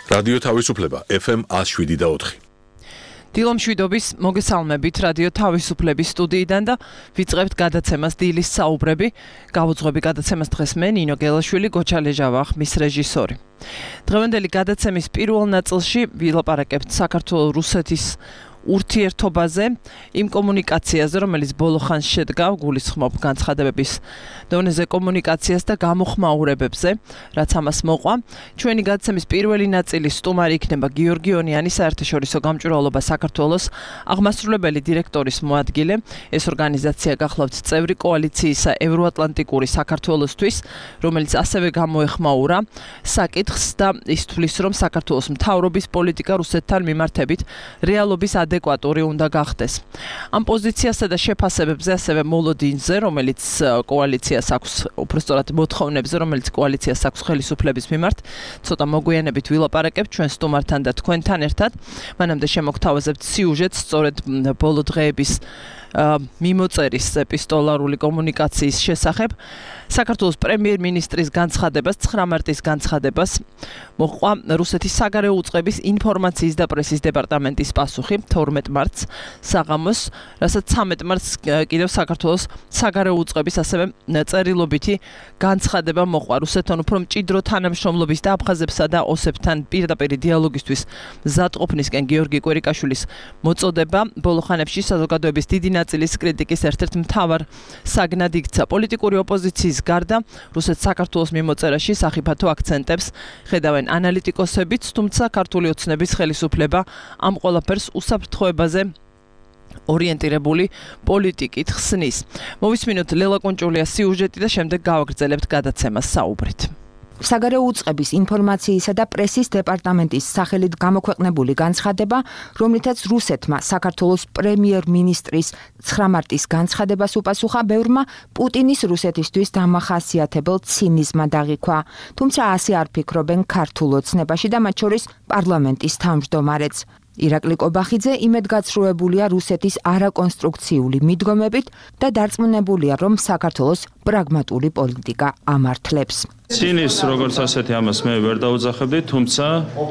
რადიო თავისუფლება FM 107.4. დილომშვიდობის მოგესალმებით რადიო თავისუფლების სტუდიიდან და ვიწყებთ გადაცემას დილის საუბრები. Გავუძღვები გადაცემას დღეს მე ნინო გელაშვილი, გოჩა ლეჟავა, მის რეჟისორი. დღევანდელი გადაცემის პირველ ნაწილში ვილაპარაკებთ საქართველოს-რუსეთის ურთიერთობაზე, იმ კომუნიკაციაზე, რომელიც ბოლო ხანს შედგა გულისხმობ განცხადებების დონეზე კომუნიკაციას და გამოხმაურებებზე, რაც ამას მოყვა. ჩვენი გადაცემის პირველი ნაწილის სტუმარი იქნება გიორგი ონიანი, საერთაშორისო გამჭვირვალობა საქართველოს აღმასრულებელი დირექტორის მოადგილე. ეს ორგანიზაცია გახლავთ წევრი კოალიციისა ევროატლანტიკური საქართველოსთვის, რომელიც ასევე გამოეხმაურა საკითხს და ის თვლის, რომ საქართველოს მთავრობის პოლიტიკა რუსეთთან მიმართებით რეალობის ადეკვატური უნდა გახდეს. ამ პოზიციასა და შეფასებებზე ასევე მოლოდინზე, რომელიც კოალიციას აქვს, უბრალოდ მოთხოვნებზე, რომელიც კოალიციას აქვს ხელისუფლების მიმართ, ცოტა მოგვიანებით ვილაპარაკებთ ჩვენ სტუმართან და თქვენთან ერთად. მანამდე შემოგთავაზებთ სიუჟეტს სწორედ ბოლო დღეების მიმოწერის ეპისტოლარული კომუნიკაციის შესახებ. საქართველოს პრემიერ-მინისტრის განცხადებას, 9 მარტის განცხადებას მოჰყვა რუსეთის საგარეო უწყების ინფორმაციის და პრესის დეპარტამენტის პასუხი 12 მარტს საღამოს, რასაც 13 მარტს კიდევ საქართველოს საგარეო უწყების ასევე წერილობითი განცხადება მოჰყვა რუსეთთან უფრო მჭიდრო თანამშრომლობის და აფხაზებსა და ოსებთან პირდაპირ დიალოგისთვის მზადყოფნისკენ გიორგი კვერიკაშვილის მოწოდება ბოლო ხანებში საზოგადოების დიდი ნაწილის კრიტიკის ერთ-ერთ მთავარ საგნად იქცა. პოლიტიკური ოპოზიციის გარდა რუსეთს საქართველოს მიმოწერაში სახიფათო აქცენტებს ხედავენ ანალიტიკოსებიც, თუმცა ქართული ოცნების ხელისუფლება ამ ყველაფერს უსაფრთხოებაზე ორიენტირებული პოლიტიკით ხსნის. მოვისმინოთ ლელა კონჭულიას სიუჟეტი და შემდეგ გავაგრძელებთ გადაცემას საუბრით. საგარეო უწყების ინფორმაციისა და პრესის დეპარტამენტის სახელით გამოქვეყნებული განცხადება, რომლითაც რუსეთმა საქართველოს პრემიერ-მინისტრის 9 მარტის განცხადებას უპასუხა, ბევრმა პუტინის რუსეთისთვის დამახასიათებელ ცინიზმად აღიქვა. თუმცა ასე არ ფიქრობენ ქართულ ოცნებაში და მათ შორის პარლამენტის თავმჯდომარეც. ირაკლი კობახიძე იმედგაცრუებულია რუსეთის არაკონსტრუქციული მიდგომებით და დარწმუნებულია, რომ საქართველოს პრაგმატული პოლიტიკა ამართლებს. ცინის როგორც ასეთი ამას მე ვერ დაუძახებდი, თუმცა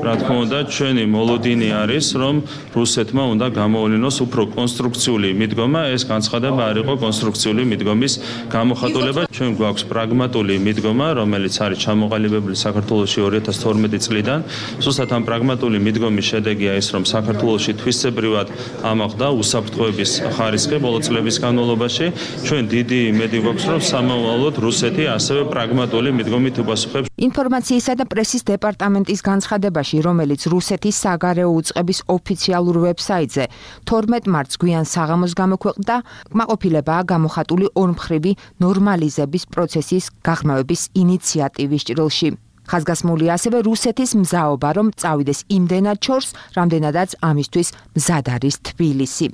რა თქმა უნდა ჩვენი მოლოდინი არის, რომ რუსეთმა უნდა გამოუვლინოს უფრო კონსტრუქციული მიდგომა, ეს განცხადება არ იყო კონსტრუქციული მიდგომის გამოხატულება. ჩვენ გვაქვს პრაგმატული მიდგომა, რომელიც არის ჩამოყალიბებული საქართველოში 2012 წლიდან. ზუსტად ამ პრაგმატული მიდგომის შედეგია ის, რომ საქართველოში თვისებრივად ამაღლდა უსაფრთხოების ხარისხი ბოლო წლების განმავლობაში. ჩვენ დიდი იმედი გვაქვს, რომ სამომავლოდ რუსეთი ასევე პრაგმატული მიდგომით უპასუხებს. ინფორმაციისა და პრესის დეპარტამენტის განცხადებაში, რომელიც რუსეთის საგარეო უწყების ოფიციალურ ვებსაიტზე 12 მარტს გვიან საღამოს გამოქვეყნდა, კმაყოფილებაა გამოხატული ორმხრივი ნორმალიზების პროცესის გაღრმავების ინიციატივის ჭრილში. ხაზგასმულია ასევე რუსეთის მზაობა, რომ წავიდეს იმდენად შორს, რამდენადაც ამისთვის მზად არის თბილისი.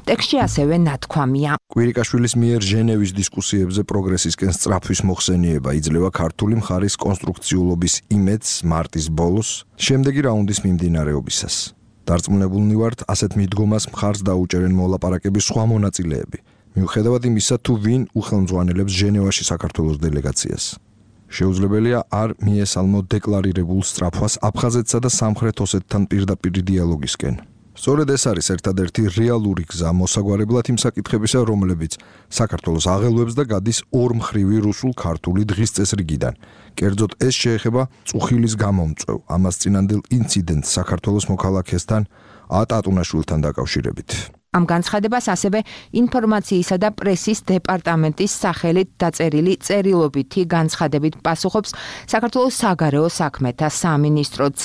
ტექსტში ასევე ნათქვამია. კვირიკაშვილის მიერ ჟენევის დისკუსიებზე პროგრესისკენ სწრაფვის მოხსენიება იძლევა ქართული მხარის კონსტრუქციულობის იმედს მარტის ბოლოს, შემდეგი რაუნდის მიმდინარეობისას. დარწმუნებულნი ვართ, ასეთ მიდგომას მხარს დაუჭერენ მოლაპარაკების სხვა მონაწილეები, მიუხედავად იმისა, თუ ვინ უხელმძღვანელებს ჟენევაში საქართველოს დელეგაციას. შეუძლებელია არ მიესალმო დეკლარირებულ სწრაფვას აფხაზეთსა და სამხრეთ ოსეთთან პირდაპირ დიალოგისკენ. სწორედ ეს არის ერთადერთი რეალური გზა მოსაგვარებლად იმ საკითხებისა, რომლებიც საქართველოს აღელვებს და გადის ორმხრივი რუსულ-ქართული დღის წესრიგიდან. კერძოდ ეს შეეხება წუხილის გამომწვევ, ამას წინანდელ ინციდენტს საქართველოს მოქალაქესთან ატატუნაშვილთან დაკავშირებით. ამ განცხადებას ასევე ინფორმაციისა და პრესის დეპარტამენტის სახელით დაწერილი წერილობითი განცხადებით პასუხობს საქართველოს საგარეო საქმეთა სამინისტროც.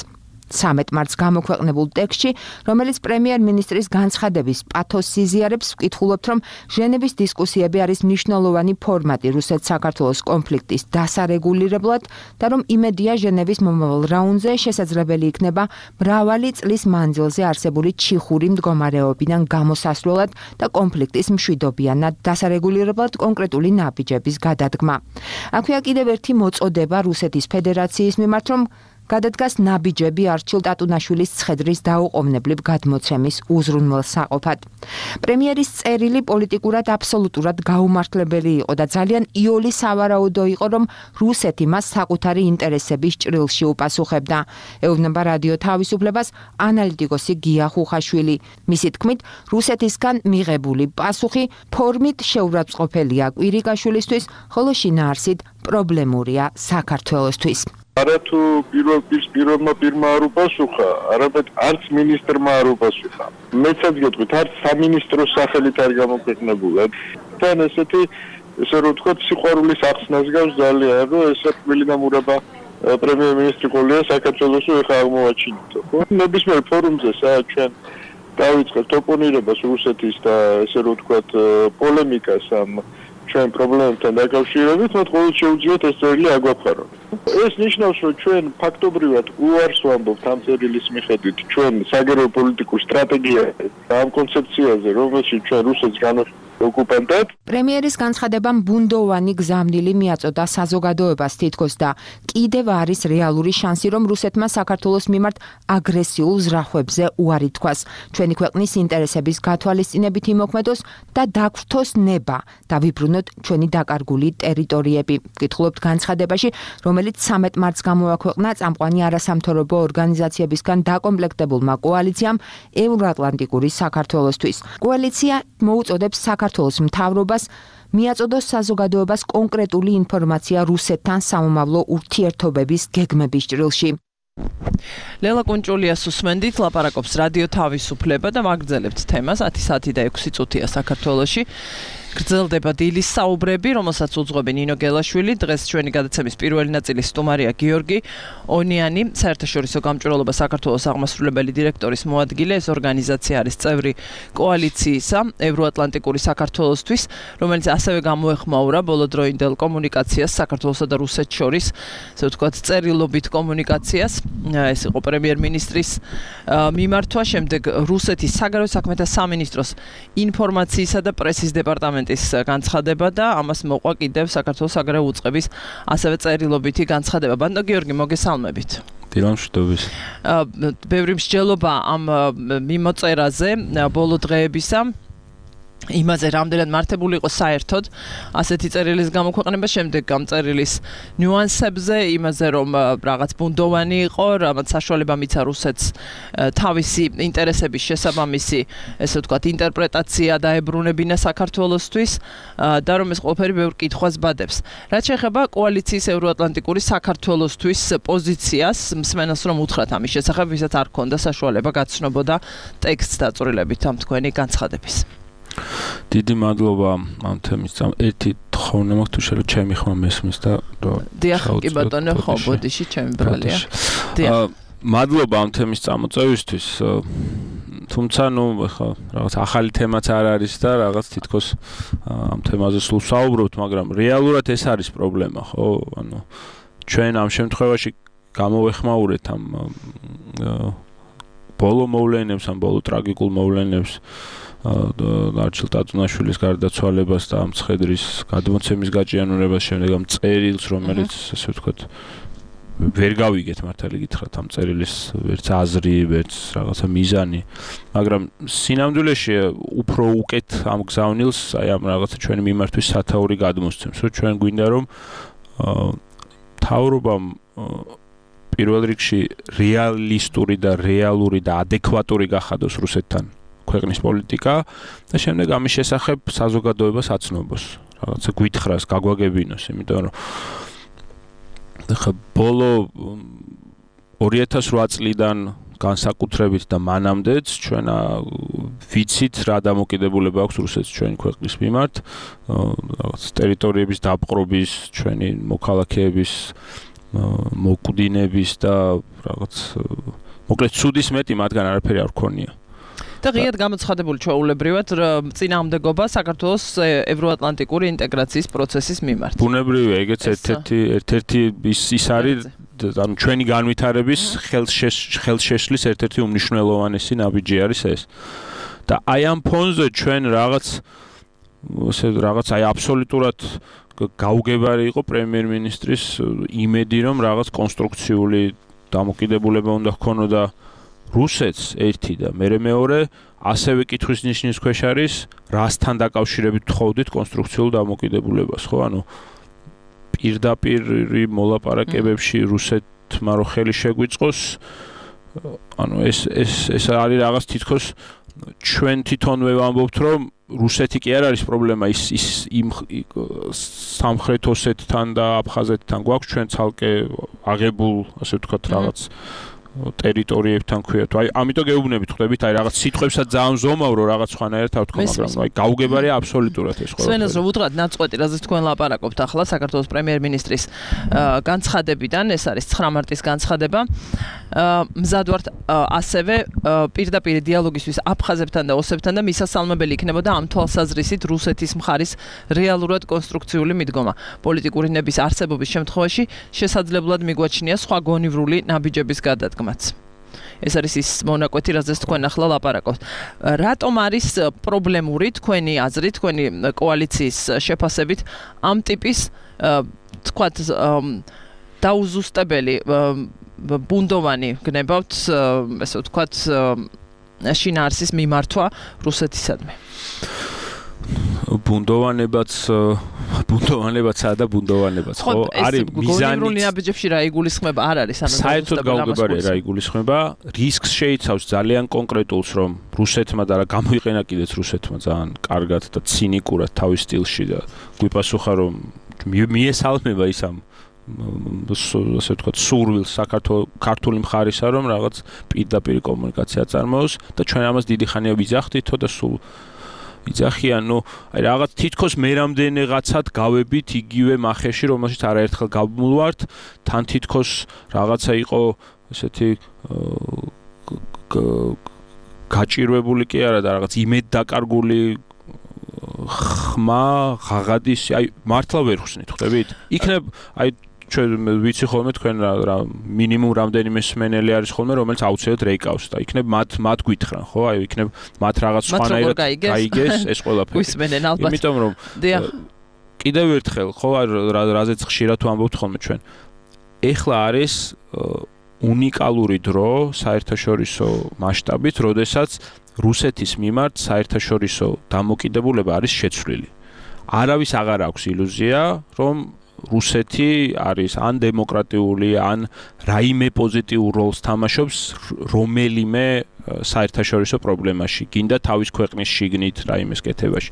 13 მარტს გამოქვეყნებულ ტექსტში, რომელიც პრემიერ-მინისტრის განცხადების პათოსს იზიარებს, ვკითხულობთ, რომ ჟენევის დისკუსიები არის მნიშვნელოვანი ფორმატი რუსეთ-საქართველოს კონფლიქტის დასარეგულირებლად და რომ იმედია ჟენევის მომავალ რაუნდზე შესაძლებელი იქნება მრავალი წლის მანძილზე არსებული ჩიხური მდგომარეობიდან გამოსასვლელად და კონფლიქტის მშვიდობიანად დასარეგულირებლად კონკრეტული ნაბიჯების გადადგმა. აქვეა კიდევ ერთი მოწოდება რუსეთის ფედერაციის მიმართ, რომ გადადგას ნაბიჯები არჩილ ტატუნაშვილის ცხედრის დაუყოვნებლივ გადმოცემის უზრუნველსაყოფად. პრემიერის წერილი პოლიტიკურად აბსოლუტურად გაუმართლებელი იყო და ძალიან იოლი სავარაუდო იყო, რომ რუსეთი მას საკუთარი ინტერესების ჭრილში უპასუხებდა. ეუბნება რადიო თავისუფლებას ანალიტიკოსი გია ხუხაშვილი. მისი თქმით, რუსეთისგან მიღებული პასუხი ფორმით შეურაცხყოფელია კვირიკაშვილისთვის, ხოლო შინაარსით პრობლემურია საქართველოსთვის. არათუ პირველმა პირმა არ უპასუხა, არამედ არც მინისტრმა არ უპასუხა. მეცაც გეტყვით, არც სამინისტროს სახელით არ გამოქვეყნებულა. თან ესეთი ესე რომ ვთქვათ, სიყვარულის ახსნას გავს ძალიან, რომ ეს მილინამურება პრემიერ-მინისტრი ყოლია საქართველოს ეხა აღმოაჩინითო, ხო? ნებისმიერ ფორუმზე ჩვენ დავიწყებთ ოპონირებას რუსეთის და ესე რომ ვთქვათ, პოლემიკას ამ ჩვენ პრობლემებთან დაკავშირებით, მათ ყოველ შეუძლიათ ეს წერილი აგვაფხარონ. ეს ნიშნავს, რომ ჩვენ ფაქტობრივად უარს ვამბობთ ამ წერილის მიხედვით ჩვენ საგარეო პოლიტიკურ სტრატეგიაზე, ამ კონცეფციაზე, რომელშიც ჩვენ რუსეთს ოკუპანტად. პრემიერის განცხადებამ ბუნდოვანი გზავნილი მიაწოდა საზოგადოებას თითქოს და კიდევ არის რეალური შანსი, რომ რუსეთმა საქართველოს მიმართ აგრესიულ ზრახვებზე უარი თქვას, ჩვენი ქვეყნის ინტერესების გათვალისწინებით იმოქმედოს და დაგვრთოს ნება და ვიბრუნოთ ჩვენი დაკარგული ტერიტორიები. ვკითხულობთ განცხადებაში, რომელიც 13 მარტს გამოაქვეყნა წამყვანი არასამთავრობო ორგანიზაციებისგან დაკომპლექტებულმა კოალიციამ ევროატლანტიკური საქართველოსთვის. კოალიცია მოუწოდებს საქართველოს მთავრობას მიაწოდოს საზოგადოებას კონკრეტული ინფორმაცია რუსეთთან სამომავლო ურთიერთობების გეგმების ჭრილში. ლელა კუნჭულიას უსმენდით, ლაპარაკობს რადიო თავისუფლება და მაგრძელებთ თემას 10 საათი და 6 წუთია საქართველოში. გრძელდება დილის საუბრები, რომელსაც უძღვები ნინო გელაშვილი. დღეს ჩვენი გადაცემის პირველი ნაწილის სტუმარია გიორგი ონიანი, საერთაშორისო გამჭვირვალობა საქართველოს აღმასრულებელი დირექტორის მოადგილე. ეს ორგანიზაცია არის წევრი კოალიციისა ევროატლანტიკური საქართველოსთვის, რომელიც ასევე გამოეხმაურა ბოლოდროინდელ კომუნიკაციას საქართველოსა და რუსეთს შორის, ასე ვთქვათ, წერილობით კომუნიკაციას. ეს იყო პრემიერ-მინისტრის მიმართვა, შემდეგ რუსეთის საგარეო საქმეთა სამინისტროს ინფორმაციისა და პრესის დეპარტამენტის განცხადება და ამას მოყვა კიდევ საქართველოს საგარეო უწყების ასევე წერილობითი განცხადება. ბანდო გიორგი, მოგესალმებით. დილამშვიდობის. ბევრი მსჯელობა ამ მიმოწერაზე ბოლო დღეებისა. იმაზე რამდენად მართებული იყო საერთოდ ასეთი წერილის გამოქვეყნება, შემდეგ ამ წერილის ნიუანსებზე, იმაზე რომ რაღაც ბუნდოვანი იყო, რამაც საშუალება მიცა რუსეთს თავისი ინტერესების შესაბამისი, ესე ვთქვათ, ინტერპრეტაცია დაებრუნებინა საქართველოსთვის და რომ ეს ყველაფერი ბევრ კითხვას ბადებს. რაც შეეხება კოალიციის ევროატლანტიკური საქართველოსთვის პოზიციას, მსმენელს რომ უთხრათ ამის შესახებ, ვისაც არ ქონდა საშუალება გაცნობოდა ტექსტს დაწვრილებით ამ თქვენი განცხადების. დიდი მადლობა ამ თემის ერთი თხოვნე მაქვს თუ შეიძლება ჩემი ხმა მესმის და დიახ, კი ბატონო, ხო, ბოდიში ჩემი ბრალია. დიახ. მადლობა ამ თემის წამოწევისთვის. თუმცა ნუ ხა რაღაც ახალი თემაც არ არის და რაღაც თითქოს ამ თემაზე სულ საუბრობთ, მაგრამ რეალურად ეს არის პრობლემა, ხო? ანუ ჩვენ ამ შემთხვევაში გამოვეხმაურეთ ამ ბოლო მოვლენებს, ამ ბოლო ტრაგიკულ მოვლენებს არჩილ ტატუნაშვილის გარდაცვალებას და ამ ცხედრის გადმოცემის გაჭიანურებას, შემდეგ ამ წერილს, რომელიც ასე ვთქვათ, ვერ გავიგეთ მართალი გითხრათ ამ წერილის ვერც აზრი, ვერც რაღაცა მიზანი, მაგრამ სინამდვილეში უფრო უკეთ ამ გზავნილს აი ამ რაღაცა ჩვენი მიმართვის სათაური გადმოსცემს, რომ ჩვენ გვინდა რომ მთავრობამ პირველ რიგში რეალისტური და რეალური და ადეკვატური გახადოს რუსეთთან ქვეყნის პოლიტიკა და შემდეგ ამის შესახებ საზოგადოებას აცნობს, რაღაცა გვითხრას, გაგვაგებინოს, იმიტომ რომ ხა ბოლო 2008 წლიდან განსაკუთრებით და მანამდეც ჩვენ ვიცით რა დამოკიდებულება აქვს რუსეთს ჩვენი ქვეყნის მიმართ, რაღაც ტერიტორიების დაპყრობის, ჩვენი მოქალაქეების მოკვდინების და რაღაც მოკლედ ცუდის მეტი მათგან არაფერი არ გქონია. და ღიად გამოცხადებული ჩვეულებრივად წინააღმდეგობა საქართველოს ევროატლანტიკური ინტეგრაციის პროცესის მიმართ. ბუნებრივია, ეგეც ერთ-ერთი ის არის, ანუ ჩვენი განვითარების ხელშეშლის ერთ-ერთი უმნიშვნელოვანესი ნაბიჯი არის ეს. და აი ამ ფონზე ჩვენ რაღაც აი აბსოლუტურად გაუგებარი იყო პრემიერ-მინისტრის იმედი, რომ რაღაც კონსტრუქციული დამოკიდებულება უნდა ჰქონოდა რუსეთს ერთი და მეორე ასევე კითხვის ნიშნის ქვეშ არის რასთან დაკავშირებით თხოვდით კონსტრუქციულ დამოკიდებულებას, ხო? ანუ პირდაპირ მოლაპარაკებებში რუსეთმა რო ხელი შეგვიწყოს, ანუ ეს არის რაღაც თითქოს ჩვენ თვითონვე ვამბობთ, რომ რუსეთი კი არ არის პრობლემა, ის იმ სამხრეთ ოსეთთან და აფხაზეთთან გვაქვს ჩვენ ცალკე აღებულ, ასე ვთქვათ, რაღაც ტერიტორიებთან ქვიათ. აი, ამიტომ გეუბნებით ხვდებით, აი რაღაც სიტყვებსაც ძალიან ზომავრო რაღაც სხვანაირად ავთქო, მაგრამ აი გაუგებარია აბსოლუტურად ეს ყველა. სვენელს რომ უთხრათ ნაწყვეტი, რაზეც თქვენ ლაპარაკობთ ახლა საქართველოს პრემიერ-მინისტრის განცხადებიდან, ეს არის 9 მარტის განცხადება. მზად ვართ ასევე პირდაპირ დიალოგისთვის აფხაზებთან და ოსებთან და მისასალმებელი იქნებოდა ამ თვალსაზრისით რუსეთის მხარის რეალურად კონსტრუქციული მიდგომა. პოლიტიკური ნების არსებობის შემთხვევაში შესაძლებლად მიგვაჩნია სხვა გონივრული ნაბიჯების გადადგმაც. ეს არის ის მონაკვეთი, რაზეც თქვენ ახლა ლაპარაკობთ. რატომ არის პრობლემური თქვენი აზრით, თქვენი კოალიციის შეფასებით ამ ტიპის თქვათ დაუზუსტებელი ბუნდოვანი გნებავთ, ესე ვთქვათ, შინაარსის მიმართვა რუსეთისადმი? ბუნდოვანებაცაა და ბუნდოვანებაც, ხო? არის მიზანი. გონივრული ნაბიჯებში რა იგულისხმება? არ არის ანუ საერთოდ გაუგებარია რა იგულისხმება. რისკს შეიცავს ძალიან კონკრეტულს, რომ რუსეთმა და რა გამოიყენა კიდეც რუსეთმა ძალიან კარგად და ცინიკურად თავის სტილში და გვიპასუხა, რომ მიესალმება ის ამ ასე ვთქვათ, სურვილს ქართული მხარისა, რომ რაღაც პირდაპირ კომუნიკაცია წარმოოს და ჩვენ ამას დიდი ხანია ვიძახდითო და სულ იძახიან, ნუ აი რაღაც თითქოს მე რამდენიღაცად გავებით იგივე მახეში, რომელშიც არაერთხელ გავმულვართ, თან თითქოს რაღაცა იყო ესეთი გაჭირვებული კი არა და რაღაც იმედ დაკარგული ხმა ღაღადის, აი მართლა ვერ ხსნით, ხვდებით? იქნებ აი ჩვენ ვიცი ხოლმე თქვენ რა მინიმუმ რამდენიმე მსმენელი არის ხოლმე, რომელიც აუცილებლად რეიკავს და იქნებ მათ გვითხრან, ხო? აი იქნებ მათ რაღაც სხვანაირად გაიგეს ეს ყველაფერი. გვისმენენ ალბათ. იმიტომ რომ კიდევ ერთხელ, ხო, რაზეც ხშირად ვამბობთ ხოლმე ჩვენ. ეხლა არის უნიკალური დრო საერთაშორისო მასშტაბით, როდესაც რუსეთის მიმართ საერთაშორისო დამოკიდებულება არის შეცვლილი. არავის აღარ აქვს ილუზია, რომ რუსეთი არის ან დემოკრატიული, ან რაიმე პოზიტიურ როლს თამაშობს რომელიმე საერთაშორისო პრობლემაში, გინდა თავის ქვეყნის შიგნით რაიმეს კეთებაში.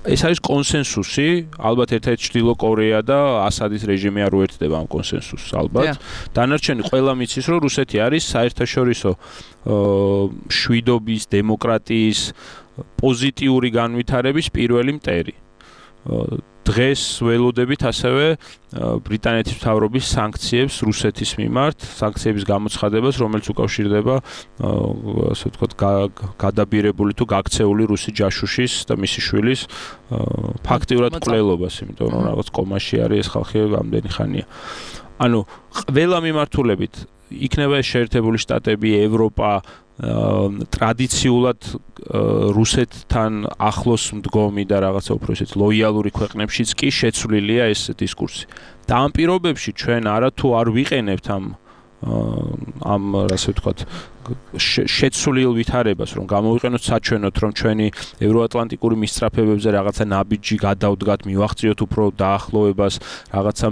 ეს არის კონსენსუსი, ალბათ ერთ-ერთი ჩრდილო კორეა და ასადის რეჟიმი არ უერთდება ამ კონსენსუსს, ალბათ. დანარჩენი ყველა მიცის, რომ რუსეთი არის საერთაშორისო შვიდობის, დემოკრატიის, პოზიტიური განვითარების პირველი მტერი. დღეს ველოდებით ასევე ბრიტანეთის მთავრობის სანქციებს რუსეთის მიმართ, სანქციების გამოცხადებას, რომელიც უკავშირდება ასე ვთქვათ გადაბირებული თუ გაქცეული რუსი ჯაშუშის და მისი შვილის ფაქტიურად მკვლელობას, იმიტომ რომ რაღაც კომაში არის ეს ხალხი ამდენი ხანია. ანუ ყველა მიმართულებით იქნება ეს შეერთებული შტატები, ევროპა ტრადიციულად რუსეთთან ახლოს მდგომი და რაღაცა უფრო ისეთ ლოიალური ქვეყნებშიც კი შეცვლილია ეს დისკურსი. და ამ პირობებში ჩვენ არათუ არ ვიყენებთ ამ ასე ვთქვათ შეცვლილ ვითარებას, რომ გამოვიყენოთ საჩვენოთ, რომ ჩვენი ევროატლანტიკური მისწრაფებებზე რაღაცა ნაბიჯი გადავდგათ, მივახციოთ უფრო დაახლოებას, რაღაცა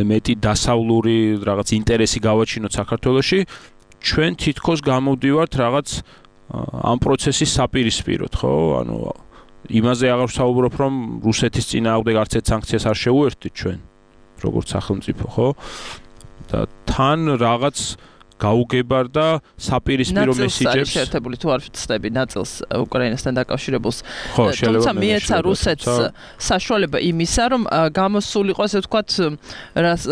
მეტი დასავლური რაღაც ინტერესი გავაჩინოთ საქართველოში. ჩვენ თითქოს გამოვდივართ რაღაც ამ პროცესის საპირისპიროდ, ხო? ანუ იმაზე აღარ ვსაუბრობ, რომ რუსეთის წინააღმდეგ არც ერთ სანქციას არ შევუერთდით ჩვენ, როგორც სახელმწიფო, ხო? და თან რაღაც გაუგებარ და საპირისპირო მესიჯებს შეერთებული თუ არ ვწდები ნაწილს უკრაინასთან დაკავშირებულს. თუმცა მიეცა რუსეთს საშუალება იმისა, რომ გამოსულიყო, ასე ვთქვათ,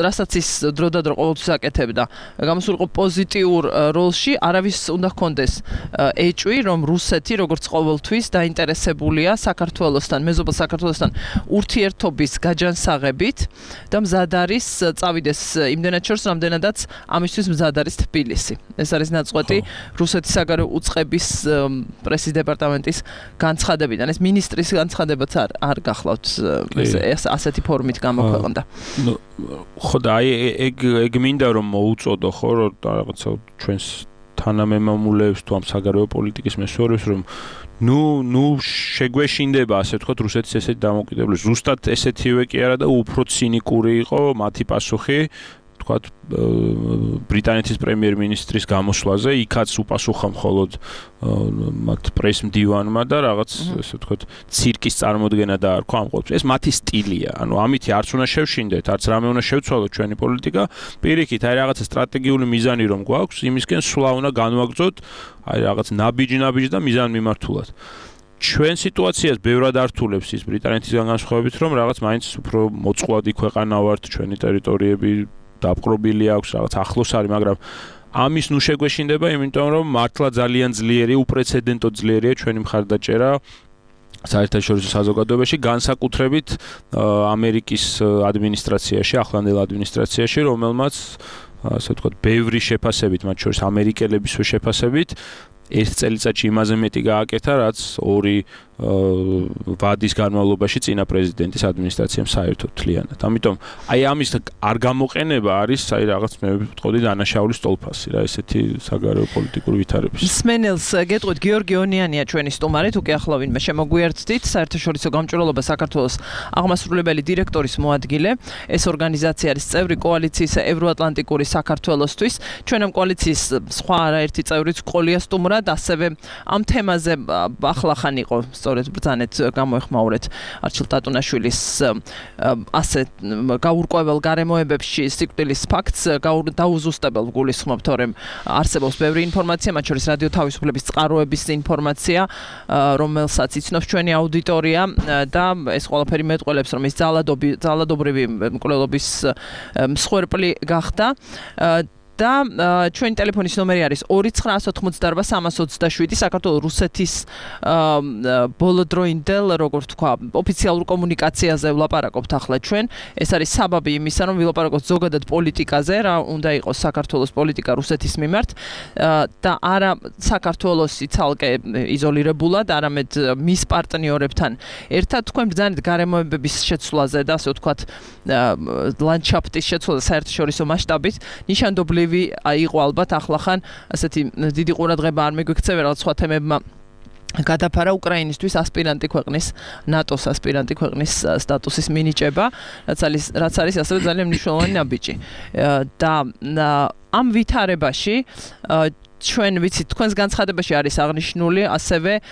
რასაც ის დროდადრო ყოველთვის აკეთებდა. გამოსულიყო პოზიტიურ როლში, არავის უნდა ჰქონდეს ეჭვი, რომ რუსეთი, როგორც ყოველთვის, დაინტერესებულია საქართველოსთან, მეზობელ საქართველოსთან ურთიერთობის გაჯანსაღებით და მზად არის წავიდეს იმდენად შორს, რამდენადაც ამისთვის მზად არის თბილისი. ეს არის ნაწყვეტი რუსეთის საგარეო უწყების პრესის დეპარტამენტის განცხადებიდან. ეს მინისტრის განცხადებაც არ გახლავთ ეს ასეთი ფორმით გამოქვეყნდა. ხო და აი ეგ მინდა რომ მოუწოდო ხო რაღაცა ჩვენს თანამემამულეებს თუ ამ საგარეო პოლიტიკის მესვერებს რომ ნუ შეგვეშინდება ასე ვთქვათ რუსეთის ესეთი დამოუკიდებლობა. ზუსტად ესეთივე კი არა და უფრო ცინიკური იყო მათი პასუხი ვთქვათ ბრიტანეთის პრემიერ-მინისტრის გამოსვლაზე, იქაც უპასუხა მხოლოდ მათ პრეს-მდივანმა და რაღაც ესე ვთქვათ ცირკის წარმოდგენა დაარქვა ამ ყოველთვის. ეს მათი სტილია. ანუ ამითი არც უნდა შევშინდეთ, არც რამე უნდა შევცვალოთ ჩვენი პოლიტიკა. პირიქით, აი რაღაცა სტრატეგიული მიზანი რომ გვაქვს, იმისკენ სვლა უნდა განვაგრძოთ, აი რაღაც ნაბიჯი და მიზანმიმართულად. ჩვენ სიტუაციას ბევრად ართულებს ის ბრიტანეთისგან განსხვავებით, რომ რაღაც მაინც უფრო მოწყვლადი ქვეყანა ვართ, ჩვენი ტერიტორიები დაპყრობილი აქვს, რაღაც ახლოს არის, მაგრამ ამის ნუ შეგვეშინდება, იმიტომ რომ მართლა ძალიან ძლიერი, უპრეცედენტო ძლიერია ჩვენი მხარდაჭერა საერთაშორისო საზოგადოებაში, განსაკუთრებით ამერიკის ადმინისტრაციაში, ახლანდელ ადმინისტრაციაში, რომელმაც ასე ვთქვათ, ბევრი შეფასებით, მათ შორის ამერიკელებისვე შეფასებით, ერთ წელიწადში იმაზე მეტი გააკეთა, რაც ორი ვადის განმავლობაში წინა პრეზიდენტის ადმინისტრაციამ საერთოდ თლიანად. ამიტომ აი ამის არ გამოყენება არის აი რაღაც მე ვიტყოდი დანაშაულის სტოლფასი რა ესეთი საგარეო პოლიტიკური ვითარების. სმენელს გეტყვით გიორგი ონიანია ჩვენი სტუმარი, თუ კი ახლა ვინმე შემოგვიერთდით, საერთაშორისო გამჭვირვალობა საქართველოს აღმასრულებელი დირექტორის მოადგილე. ეს ორგანიზაცია არის წევრი კოალიციის ევროატლანტიკური საქართველოსთვის. ჩვენ ამ კოალიციის სხვა არაერთი წევრიც ყოლია სტუმრად, ასევე ამ თემაზე ახლახან იყო სწორედ ბრძანეთ გამოეხმაურეთ არჩილ ტატუნაშვილის ასე გაურკვეველ გარემოებებში სიკვდილის ფაქტს დაუზუსტებელ გულისხმობთ, რომ არსებობს ბევრი ინფორმაცია, მათ შორის რადიო თავისუფლების წყაროების ინფორმაცია, რომელსაც იცნობს ჩვენი აუდიტორია და ეს ყველაფერი მეტყველებს, რომ ეს ძალადობრივი მკვლელობის მსხვერპლი გახდა. და ჩვენი ტელეფონის ნომერი არის 2988327 საქართველოს რუსეთის ბოლოდროინდელ როგორ თქვა ოფიციალურ კომუნიკაციაზე ვლაპარაკობთ ახლა ჩვენ. ეს არის საბაბი იმისა, რომ ვილაპარაკოთ ზოგადად პოლიტიკაზე, რა უნდა იყოს საქართველოს პოლიტიკა რუსეთის მიმართ და არა საქართველოსი ცალკე იზოლირებულად, არამედ მის პარტნიორებთან ერთად თქვენ ბრძანეთ გარემოებების შეცვლაზე და ასე ვთქვათ ლანდშაფტის შეცვლაზე საერთაშორისო მასშტაბით. ნიშანდობლივ იყო ალბათ ახლახან ასეთი დიდი ყურადღება არ მიგვიქცევა რაღაც სხვა თემებმა გადაფარა უკრაინისთვის ასპირანტი ქვეყნის ნატოს ასპირანტი ქვეყნის სტატუსის მინიჭება, რაც არის ასევე ძალიან მნიშვნელოვანი ნაბიჯი. და ამ ვითარებაში ჩვენ ვიცით თქვენს განცხადებაში არის აღნიშნული ასევე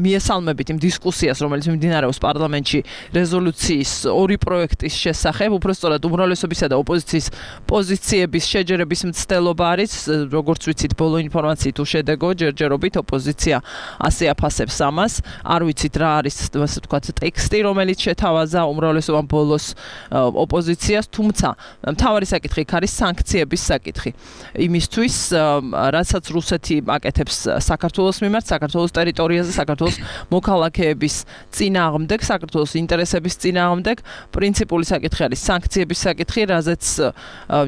მიესალმებით იმ დისკუსიას, რომელიც მიმდინარეობს პარლამენტში რეზოლუციის ორი პროექტის შესახებ, უბრალოდ უმრავლესობისა და ოპოზიციის პოზიციების შეჯერების მცდელობა არის, როგორც ვიცით, ბოლო ინფორმაციით უშედეგო ჯერჯერობით ოპოზიცია ასე აფასებს ამას. არ ვიცით რა არის ასე ვთქვათ ტექსტი, რომელიც შეთავაზა უმრავლესობამ ბოლოს ოპოზიციას, თუმცა მთავარი საკითხი არის სანქციების საკითხი. იმისთვის რასაც რუსეთი აკეთებს საქართველოს მიმართ, საქართველოს ტერიტორიაზე, საქართველოს მოქალაქეების წინააღმდეგ, საქართველოს ინტერესების წინააღმდეგ, პრინციპული საკითხი არის სანქციების საკითხი, რაზეც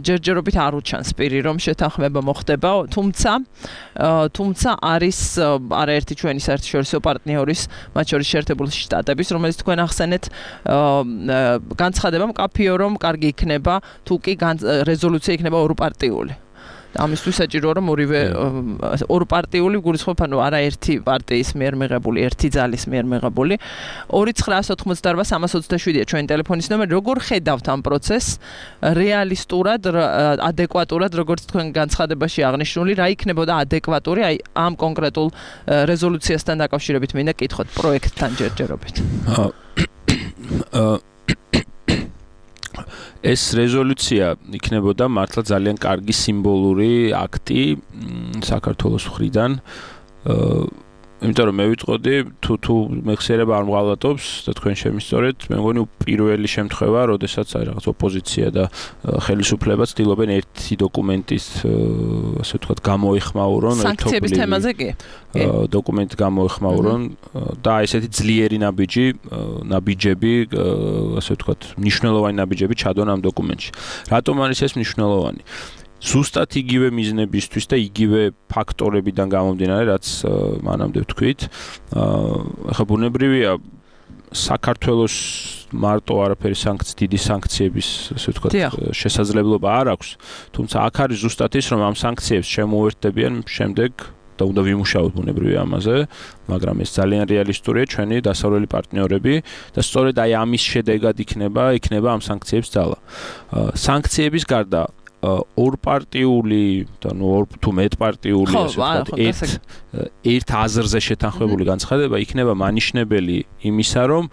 ჯერჯერობით არ უჩანს პირი, რომ შეთანხმება მოხდება, თუმცა არის არაერთი ჩვენი საერთაშორისო პარტნიორის, მათ შორის შეერთებული შტატების, რომელიც თქვენ ახსენეთ, განცხადება მკაფიო, რომ კარგი იქნება, თუ კი რეზოლუცია იქნება ორპარტიული. ამისთვის საჭიროა რომ ორივე ორპარტიული გულისხმობ, ანუ არა ერთი პარტიის მიერ მიღებული, ერთი ძალის მიერ მიღებული. 2988327-ია ჩვენი ტელეფონის ნომერი. როგორ ხედავთ ამ პროცესს რეალისტურად, ადეკვატურად, როგორც თქვენ განცხადებაში აღნიშნული, რა იქნებოდა ადეკვატური აი ამ კონკრეტულ რეზოლუციასთან დაკავშირებით მინდა კითხოთ პროექტთან ჯერჯერობით. ეს რეზოლუცია იქნებოდა მართლა ძალიან კარგი სიმბოლური აქტი საქართველოს მხრიდან. იმიტომ რომ მე ვიტყოდი თუ მეხსიერება არ მღალატობს და თქვენ შემისწორეთ, მე მგონი პირველი შემთხვევა, როდესაც აი რაღაც ოპოზიცია და ხელისუფლება ცდილობენ ერთი დოკუმენტის ასე ვთქვათ გამოეხმაურონ სანქციების თემაზე კი დოკუმენტი გამოეხმაურონ და ესეთი ძლიერი ნაბიჯები ასე ვთქვათ მნიშვნელოვანი ნაბიჯები ჩადონ ამ დოკუმენტში. რატომ არის ეს მნიშვნელოვანი? ზუსტად იგივე მიზნებისთვის და იგივე ფაქტორებიდან გამომდინარე, რაც მანამდე ვთქვით. ახლა ბუნებრივია საქართველოს მარტო არაფერი დიდი სანქციების, ასე ვთქვათ, შესაძლებლობა არ აქვს, თუმცა აქ არის ზუსტად ის, რომ ამ სანქციებს შემოუერთდებიან შემდეგ და უნდა ვიმუშაოთ ბუნებრივია ამაზე, მაგრამ ეს ძალიან რეალისტურია ჩვენი დასავლელი პარტნიორები და სწორედ აი ამის შედეგად იქნება ამ სანქციების ძალა. სანქციების გარდა ორპარტიული და ორ თუ მეტპარტიული ასე ვთქვათ, ერთ აზრზე შეთანხმებული განცხადება იქნება მანიშნებელი იმისა, რომ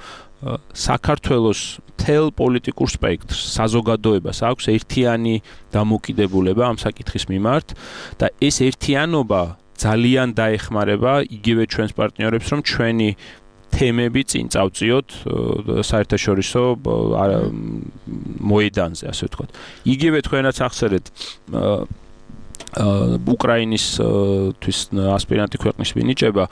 საქართველოს მთელ პოლიტიკურ სპექტრს, საზოგადოებას აქვს ერთიანი დამოკიდებულება ამ საკითხის მიმართ და ეს ერთიანობა ძალიან დაეხმარება იგივე ჩვენს პარტნიორებს, რომ ჩვენი თემები წინ წავწიოთ საერთაშორისო მოედანზე, ასე ვთქვათ. იგივე თქვენაც ახსენეთ უკრაინისთვის ასპირანტი ქვეყნის მინიჭება,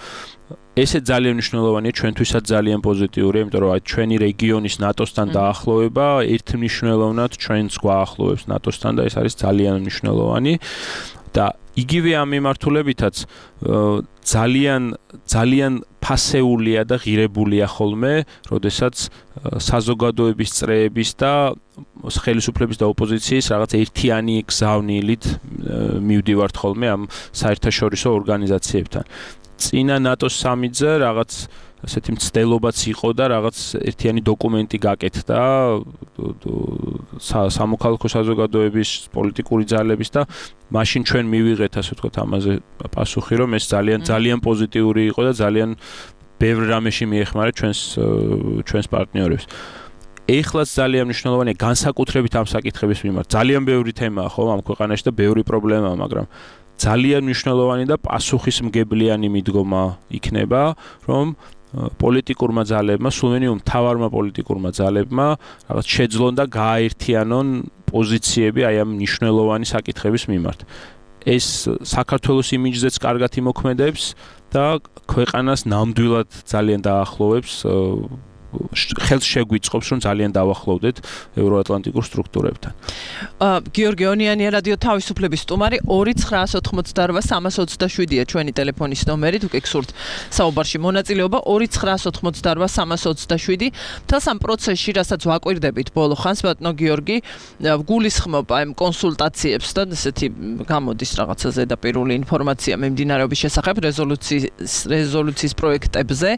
ესე ძალიან მნიშვნელოვანია, ჩვენთვისაც ძალიან პოზიტიურია, იმიტომ რომ ჩვენი რეგიონის ნატოსთან დაახლოვება ერთმნიშვნელოვნად ჩვენს გვაახლოვებს ნატოსთან და ეს არის ძალიან მნიშვნელოვანი და იგივე ამ მიმართულებითაც ძალიან ფასეულია და ღირებულია ხოლმე, როდესაც საზოგადოების წრეების და ხელისუფლების და ოპოზიციის რაღაც ერთიანი გზავნილით მივდივართ ხოლმე ამ საერთაშორისო ორგანიზაციებთან. წინა ნატოს სამიტზე რაღაც ასეთი მცდელობაც იყო და რაღაც ერთიანი დოკუმენტი გაკეთდა სამოქალაქო საზოგადოების პოლიტიკური ძალების და მაშინ ჩვენ მივიღეთ ასე ვთქვათ ამაზე პასუხი, რომ ეს ძალიან პოზიტიური იყო და ძალიან ბევრ რამეში მიეხმარა ჩვენს პარტნიორებს. ეხლაც ძალიან მნიშვნელოვანია განსაკუთრებით ამ საკითხების მიმართ. ძალიან ბევრი თემაა ხო ამ ქვეყანაში და ბევრი პრობლემაა, მაგრამ ძალიან მნიშვნელოვანი და პასუხისმგებლიანი მიდგომა იქნება, რომ პოლიტიკურმა ძალებმა, სულმენიუმ მთავარმა პოლიტიკურმა ძალებმა რაღაც შეძლონ და გააერთიანონ პოზიციები აი ამ მნიშვნელოვანი საკითხების მიმართ. ეს საქართველოს იმიჯზეც კარგად იმოქმედებს და ქვეყანას ნამდვილად ძალიან დაახლოვებს, ხელს შეგვიწყობს, რომ ძალიან დავახლოვდეთ ევროატლანტიკურ სტრუქტურებთან. გიორგი ონიანი, რადიო თავისუფლების სტუმარი, 2988327-ია ჩვენი ტელეფონის ნომერი, თუ გექსურთ საუბარში მონაწილეობა, 2988327. თელს ამ პროცესში, რასაც ვაკვირდებით ბოლო ხანს, ბატონო გიორგი, გულისხმობ აი კონსულტაციებს და ესეთი გამოდის რაღაცა ზედაპირული ინფორმაცია მიმდინარეობის შესახებ რეზოლუციის პროექტებზე.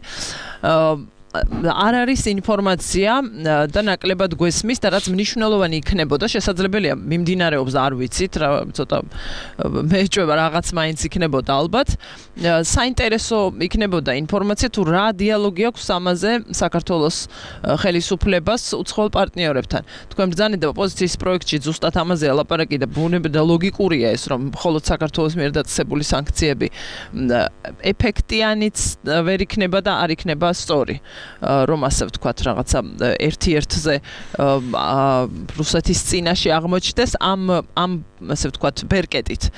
არ არის ინფორმაცია და ნაკლებად გვესმის და რაც მნიშვნელოვანი იქნებოდა, შესაძლებელია მიმდინარეობს არ ვიცით, რა ცოტა მეჭვება რაღაც მაინც იქნებოდა ალბათ. საინტერესო იქნებოდა ინფორმაცია თუ რა დიალოგი აქვს ამაზე საქართველოს ხელისუფლებას უცხოელ პარტნიორებთან. თქვენ ბრძანეთ და ოპოზიციის პროექტში ზუსტად ამაზე ლაპარაკი და ბუნებრივია და ლოგიკურია ეს, რომ მხოლოდ საქართველოს მიერ დაწესებული სანქციები ეფექტიანიც ვერ იქნება და არ იქნება სწორი. რომ ასე ვთქვათ რაღაცა ერთ-ერთზე რუსეთის წინაშე აღმოჩნდეს ამ ასე ვთქვათ ბერკეტით.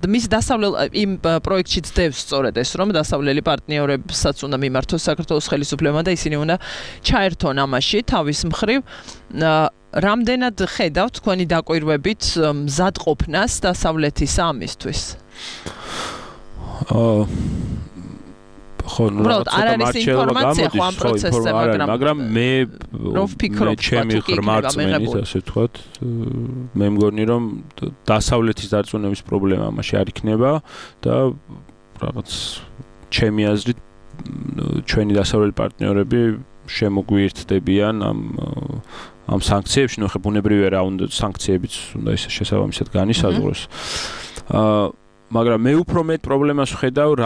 მის დასავლელ იმ პროექტში ძდევს სწორედ ეს, რომ დასავლელი პარტნიორებსაც უნდა მიმართოს საქართველოს ხელისუფლებამ და ისინი უნდა ჩაერთონ ამაში თავის მხრივ. რამდენად ხედავთ თქვენი დაკვირვებით მზადყოფნას დასავლეთის ამისთვის? არ არის ინფორმაცია ხო ამ პროცესზე, მაგრამ მე ჩემი ღრმარწმენით ასე ვთქვათ, მე მგონი რომ დასავლეთის დარწმუნების პრობლემა ამაში არ იქნება და რაღაც ჩემი აზრით ჩვენი დასავლელი პარტნიორები შემოგვიერთდებიან ამ სანქციებში, ნუ ხე ბუნებრივია რა უნდა სანქციებიც უნდა ისე შესაბამისად განისაზღვროს. მაგრამ მე უფრო მეტ პრობლემას ვხედავ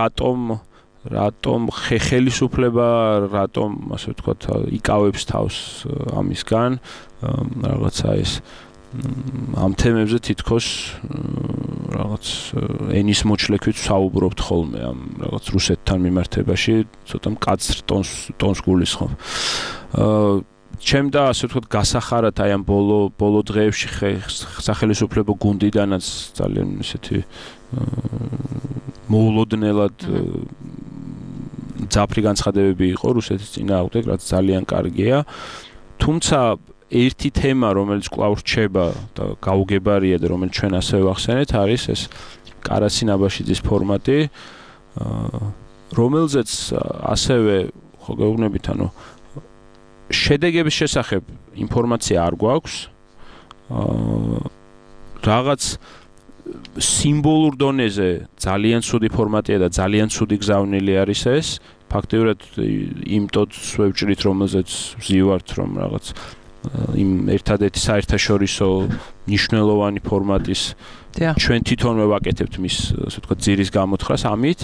რატომ ხელისუფლება რატომ ასე ვთქვათ იკავებს თავს ამისგან რაღაცა ეს ამ თემებზე თითქოს რაღაც ენის მოჩლექვით საუბრობთ ხოლმე ამ რაღაც რუსეთთან მიმართებაში ცოტა მკაცრ ტონს გულისხმობ. ჩემ და ასე ვთქვათ გასახარად აი ამ ბოლო დღეებში სახელისუფლებო გუნდიდანაც ძალიან ესეთი მოულოდნელად ძაფრი განცხადებები იყო რუსეთის წინააღმდეგ, რაც ძალიან კარგია. თუმცა ერთი თემა, რომელიც კვლავ რჩება და გაუგებარია და რომელიც ჩვენ ასევე ვახსენეთ, არის ეს კარასი ნაბაშიძის ფორმატი, რომელზეც ასევე ხო გეუბნებით, შედეგების შესახებ ინფორმაცია არ გვაქვს. Რაღაც სიმბოლურ დონეზე ძალიან ცუდი ფორმატია და ძალიან ცუდი გზავნილი არის ეს. ფაქტიურად იმ ტოტს ვევჭრით, რომელზეც ვზივართ, რომ რაღაც იმ ერთადერთი საერთაშორისო მნიშვნელოვანი ფორმატის ჩვენ თვითონვე ვაკეთებთ მის, ასე ვთქვათ, ძირის გამოთხრას ამით.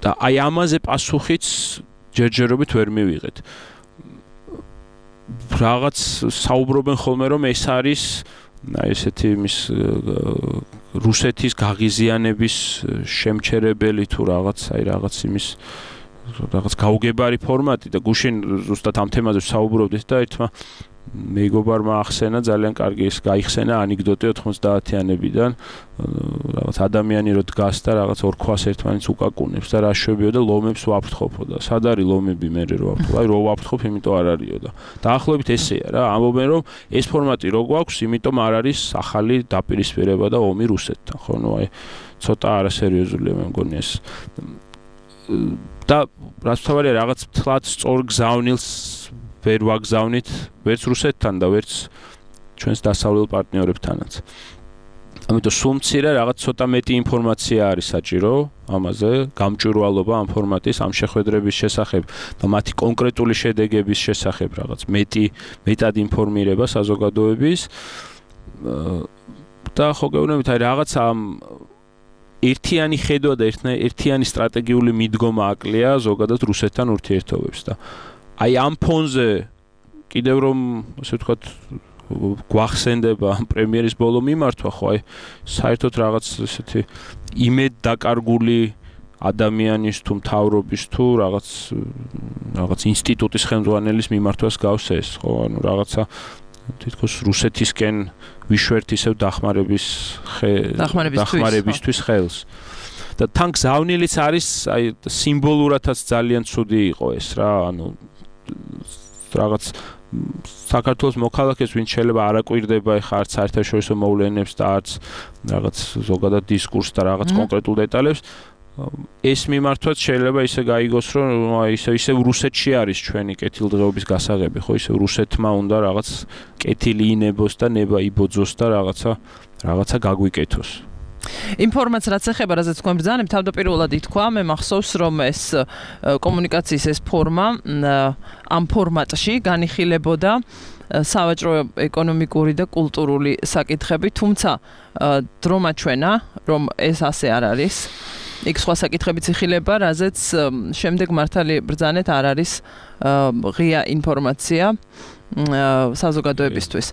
და აი ამაზე პასუხიც ჯერჯერობით ვერ მივიღეთ. რაღაც საუბრობენ ხოლმე, რომ ეს არის აი ესეთი მის რუსეთის გაღიზიანების შემჩერებელი თუ რაღაც იმის რაღაც გაუგებარი ფორმატი და გუშინ ზუსტად ამ თემაზე საუბრობდით და ერთმა მეგობარმა ახსენა ძალიან კარგი ის გაიხსენა ანეკდოტი 90-იანებიდან რაღაც ადამიანი რო დგას და რაღაც ორ ქვას ერთმანეთს უკაკუნებს და რა შვებიო და ლომებს ვაფრთხობო და სად არის ლომები მე რო ვაფრთხო აი რო ვაფრთხობ იმიტომ არ არისო და დაახლოებით ესეა რა ამბობენ რომ ეს ფორმატი რო გვაქვს იმიტომ არ არის ახალი დაპირისპირება და ომი რუსეთთან ხო ნუ აი ცოტა არასერიოზულია მე მგონი ეს და რაც თავარია რაღაც თლაც სწორ გზავნილს ვერ ვაგზავნით ვერც რუსეთთან და ვერც ჩვენს დასავლელ პარტნიორებთანაც. ამიტომ სულ მცირე რაღაც ცოტა მეტი ინფორმაცია არის საჭირო ამაზე, გამჭვირვალობა ამ ფორმატის, ამ შეხვედრების შესახებ და მათი კონკრეტული შედეგების შესახებ რაღაც მეტად ინფორმირება საზოგადოების და ხო გეუბნებით აი რაღაც ამ ერთიანი ხედვა და ერთიანი სტრატეგიული მიდგომა აკლია ზოგადად რუსეთთან ურთიერთობებს და აი ამ ფონზე კიდევ რომ ასე ვთქვათ გვახსენდება პრემიერის ბოლო მიმართვა ხო აი საერთოდ რაღაც ესეთი იმედ დაკარგული ადამიანის თუ მთავრობის თუ რაღაც ინსტიტუტის ხელმძღვანელის მიმართვას გავს ეს ხო ანუ რაღაცა თითქოს რუსეთისკენ ვიშვერთ ისევ დახმარებისთვის ხელს და თან გზავნილიც არის აი სიმბოლურადაც ძალიან ცუდი იყო ეს რა ანუ რაღაც საქართველოს მოქალაქეს ვინც შეიძლება არ აკვირდება ხა არც საერთაშორისო მოვლენებს და არც რაღაც ზოგადად დისკურსს და რაღაც კონკრეტულ დეტალებს ეს მიმართვაც შეიძლება ისე გაიგოს რომ აი ისე რუსეთში არის ჩვენი კეთილდღეობის გასაღები ხო ისე რუსეთმა უნდა რაღაც კეთილი ინებოს და ნება იბოძოს და რაღაცა გაგვიკეთოს ინფორმაცია რაც ეხება რაზეც თქვენ ბრძანებთ თავდაპირველად ითქვა მე მახსოვს რომ ეს კომუნიკაციის ეს ფორმა ამ ფორმატში განიხილებოდა სავაჭრო ეკონომიკური და კულტურული საკითხები თუმცა დრომა ჩვენა რომ ეს ასე არ არის იქ სხვა საკითხებიც იხილება რაზეც შემდეგ მართალი ბრძანეთ არ არის ღია ინფორმაცია საზოგადოებისთვის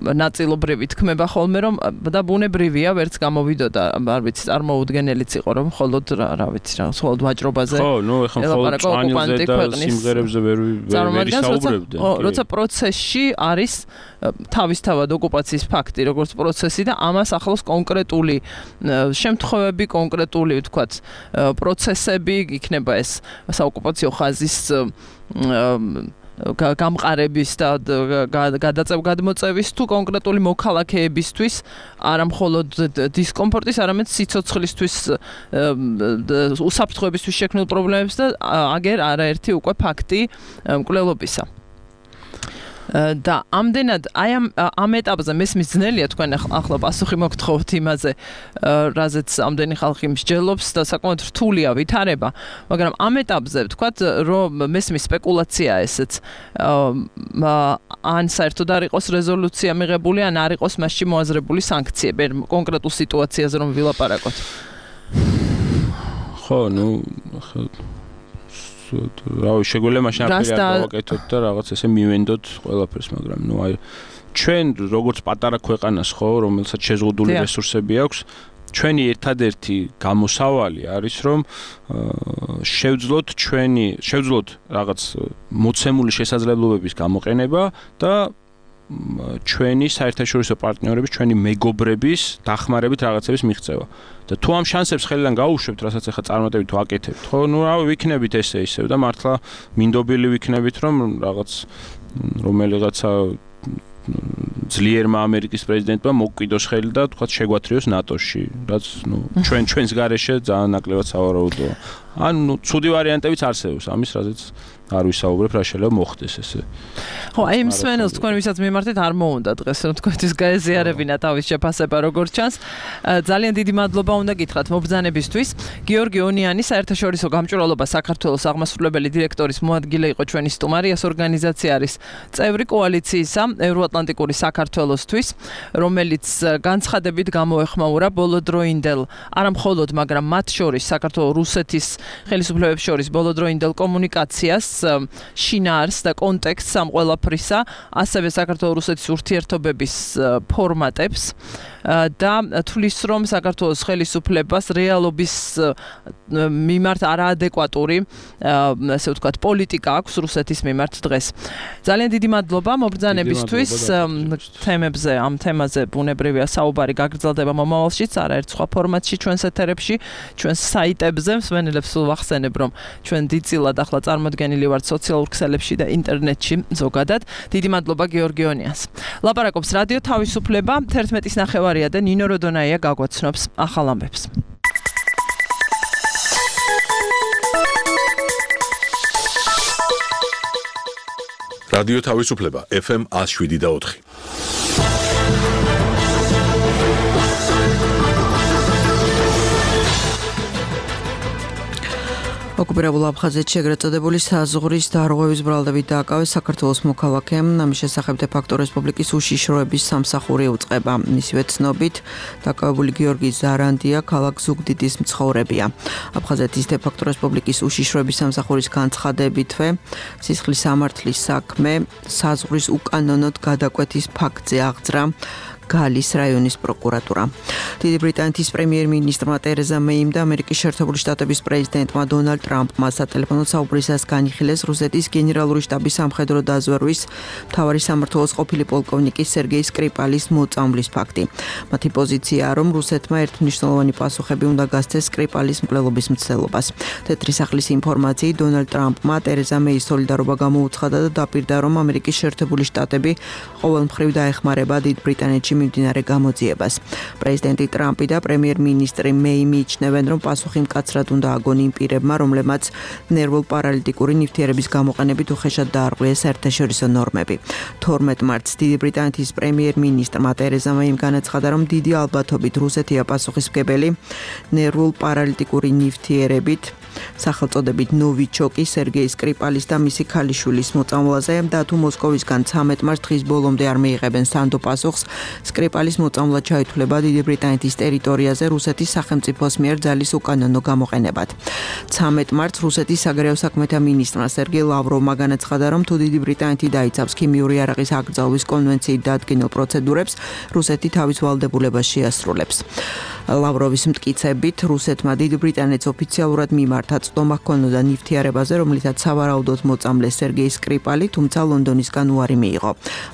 ნაწილობრივი თქმება ხოლმე რომ და ბუნებრივია ვერც გამოვიდოდა არ ვიცი წარმოუდგენელიც იყო რომ მხოლოდ რა ვიცი რა მხოლოდ ვაჭრობაზე ხო ნუ ეხლა მხოლოდ წვანილზე და სიმღერებზე ვერ საუბრებდნენ როცა პროცესში არის თავისთავად ოკუპაციის ფაქტი როგორც პროცესი და ამას ახლავს კონკრეტული შემთხვევები კონკრეტული ვთქვათ პროცესები იქნება ეს საოკუპაციო ხაზის გამყარების და გადაწევ-გადმოწევის თუ კონკრეტული მოქალაქეებისთვის არა მხოლოდ დისკომფორტის, არამედ სიცოცხლისთვის უსაფრთხოებისთვის შექმნილ პრობლემებს და აგერ არაერთი უკვე ფაქტი მკვლელობისა. და ამდენად აი ამ ეტაპზე მესმის ძნელია თქვენ ახლა პასუხი მოგთხოვთ იმაზე რაზეც ამდენი ხალხი მსჯელობს და საკმაოდ რთულია ვითარება მაგრამ ამ ეტაპზე ვთქვათ რომ მესმის სპეკულაცია ესეც ან საერთოდ არ იყოს რეზოლუცია მიღებული ან არ იყოს მასში მოაზრებული სანქციები კონკრეტულ სიტუაციაზე რომ ვილაპარაკოთ ხო ნუ რავი შეგვიძლია მაშინ აფერი არ გავაკეთოთ და რაღაც ესე მივენდოთ ყველაფერს მაგრამ ნუ აი ჩვენ როგორც პატარა ქვეყანას ხო რომელსაც შეზღუდული რესურსები აქვს ჩვენი ერთადერთი გამოსავალი არის რომ შევძლოთ რაღაც მოცემული შესაძლებლობების გამოყენება და ჩვენი საერთაშორისო პარტნიორების, ჩვენი მეგობრების დახმარებით რაღაცების მიღწევა. და თუ ამ შანსებს ხელიდან გაუშვებთ, რასაც ახლა წარმატებით თუ აკეთებთ, ხო, ნუ რავი, ვიქნებით ესე ისევ და მართლა მინდობილი ვიქნებით, რომ რაღაც რომელიღაცა ძლიერმა ამერიკის პრეზიდენტმა მოგკვიდოს ხელი და თქვა შეგვათრიოს ნატოში, რაც ნუ ჩვენს გარეშე ძალიან ნაკლებად სავარაუდოა. ანუ ცუდი ვარიანტებიც არსებობს ამის, რაზეც არ ვისაუბრებ, რა შეიძლება მოხდეს ესე. ხო, აი იმ სვენელს თქვენ ვისაც მიმართეთ არ მოუნდა დღეს, რომ თქვენთვის გაეზიარებინა თავის შეფასება როგორც ჩანს. ძალიან დიდი მადლობა უნდა გითხრათ მობრძანებისთვის. გიორგი ონიანი, საერთაშორისო გამჭვირვალობა საქართველოს აღმასრულებელი დირექტორის მოადგილე იყო ჩვენი სტუმარიას ორგანიზაცია არის წევრი კოალიციისა ევროატლანტიკური საქართველოსთვის, რომელიც განცხადებით გამოეხმაურა ბოლოდროინდელ არა მხოლოდ, მაგრამ მათ შორის საქართველოს რუსეთის ხელისუფლებებს შორის ბოლოდროინდელ კომუნიკაციას შინაარს და კონტექსტს ამ ყველაფრისა, ასევე საქართველოს-რუსეთის ურთიერთობების ფორმატებს და თulis რომ საქართველოს ხელისუფლებას რეალობის მიმართ არაადეკვატური, ასე ვთქვათ, პოლიტიკა აქვს რუსეთის მიმართ დღეს. ძალიან დიდი მადლობა მობრძანებისთვის. თემებზე, ამ თემაზე ბუნებრივია საუბარი გაგრძელდება მომავალშიც, არაერთ სხვა ფორმატში ჩვენს ეთერებში, ჩვენს საიტებზე. მსმენელებს სულ ვახსენებ, რომ ჩვენ დიდწილად ახლა წარმოდგენილი ვართ სოციალურ ქსელებში და ინტერნეტში ზოგადად. დიდი მადლობა გიორგი ონიანს. ლაპარაკობს რადიო თავისუფლება 11:09 და ნინო როდონაია გაგვაცნობს ახალ ამბებს. რადიო თავისუფლება FM 107.4. ოკუპირებულ აფხაზეთში ეგრეთ წოდებული საზღვრის დარღვევის ბრალდებით დააკავეს საქართველოს მოქალაქემ. ამის შესახებ დე-ფაქტო რესპუბლიკის უშიშროების სამსახური უწყება. მისივე ცნობით, დაკავებული გიორგი ზარანდია ქალაქ ზუგდიდის მცხოვრებია. აფხაზეთის დე-ფაქტო რესპუბლიკის უშიშროების სამსახურის განცხადებითვე, სისხლის სამართლის საქმე საზღვრის უკანონოდ გადაკვეთის ფაქტზე აღძრა გალის რაიონის პროკურატურა. დიდი ბრიტანეთის პრემიერ-მინისტრმა ტერეზა მეიმ და ამერიკის შეერთებული შტატების პრეზიდენტმა დონალდ ტრამპმა სატელეფონო საუბრისას განიხილეს რუსეთის გენერალური შტაბის სამხედრო დაზვერვის მთავარი სამმართველოს ყოფილი პოლკოვნიკი სერგეი სკრიპალის მოწამვლის ფაქტი. მათი პოზიციაა, რომ რუსეთმა ერთმნიშვნელოვანი პასუხები უნდა გასცეს სკრიპალის მკვლელობის მცდელობას. თეთრი სახლის ინფორმაციით დონალდ ტრამპმა ტერეზა მეის სოლიდარობა გამოუცხადა და დაპირდა, რომ ამერიკის შეერთებული შტატები ყოველმხრივ დაეხმარება დიდ ბრიტანეთში მიმდინარე გამოძიებას. პრეზიდენტი ტრამპი და პრემიერ-მინისტრი მეი მიიჩნევენ, რომ პასუხი მკაცრად უნდა აგონ იმ პირებმა, რომლებმაც ნერვულ-პარალიტიკური ნივთიერების გამოყენებით უხეშად დაარღვიეს საერთაშორისო ნორმები. 12 მარტს დიდი ბრიტანეთის პრემიერ-მინისტრმა ტერეზა მეიმ განაცხადა, რომ დიდი ალბათობით რუსეთია პასუხისმგებელი ნერვულ-პარალიტიკური ნივთიერებით სახელწოდებით ნოვიჩოკი სერგეი სკრიპალის და მისი ქალიშვილის მოწამვლაზე და თუ მოსკოვისგან 13 მარტს დღის ბოლომდე არ მიიღებენ სანდო პასუხს, სკრიპალის მოწამვლა ჩაითვლება დიდი ბრიტანეთის ტერიტორიაზე რუსეთის სახელმწიფოს მიერ ძალის უკანონო გამოყენებად. 13 მარტს რუსეთის საგარეო საქმეთა მინისტრმა სერგეი ლავროვმა განაცხადა, რომ თუ დიდი ბრიტანეთი დაიცავს ქიმიური არაღის აკრძალვის კონვენციით დადგენილ პროცედურებს, რუსეთი თავის ვალდებულებას შეასრულებს. ლავროვის მტკიცებით, რუსეთმა დიდი ბრიტანეთს ოფიციალურად მიმართა წდომა ჰქონოდა ნივთიერებაზე, რომლითაც სავარაუდოდ მოწამლეს სერგეი სკრიპალი, თუმცა ლონდონისგან უარი მიიღო.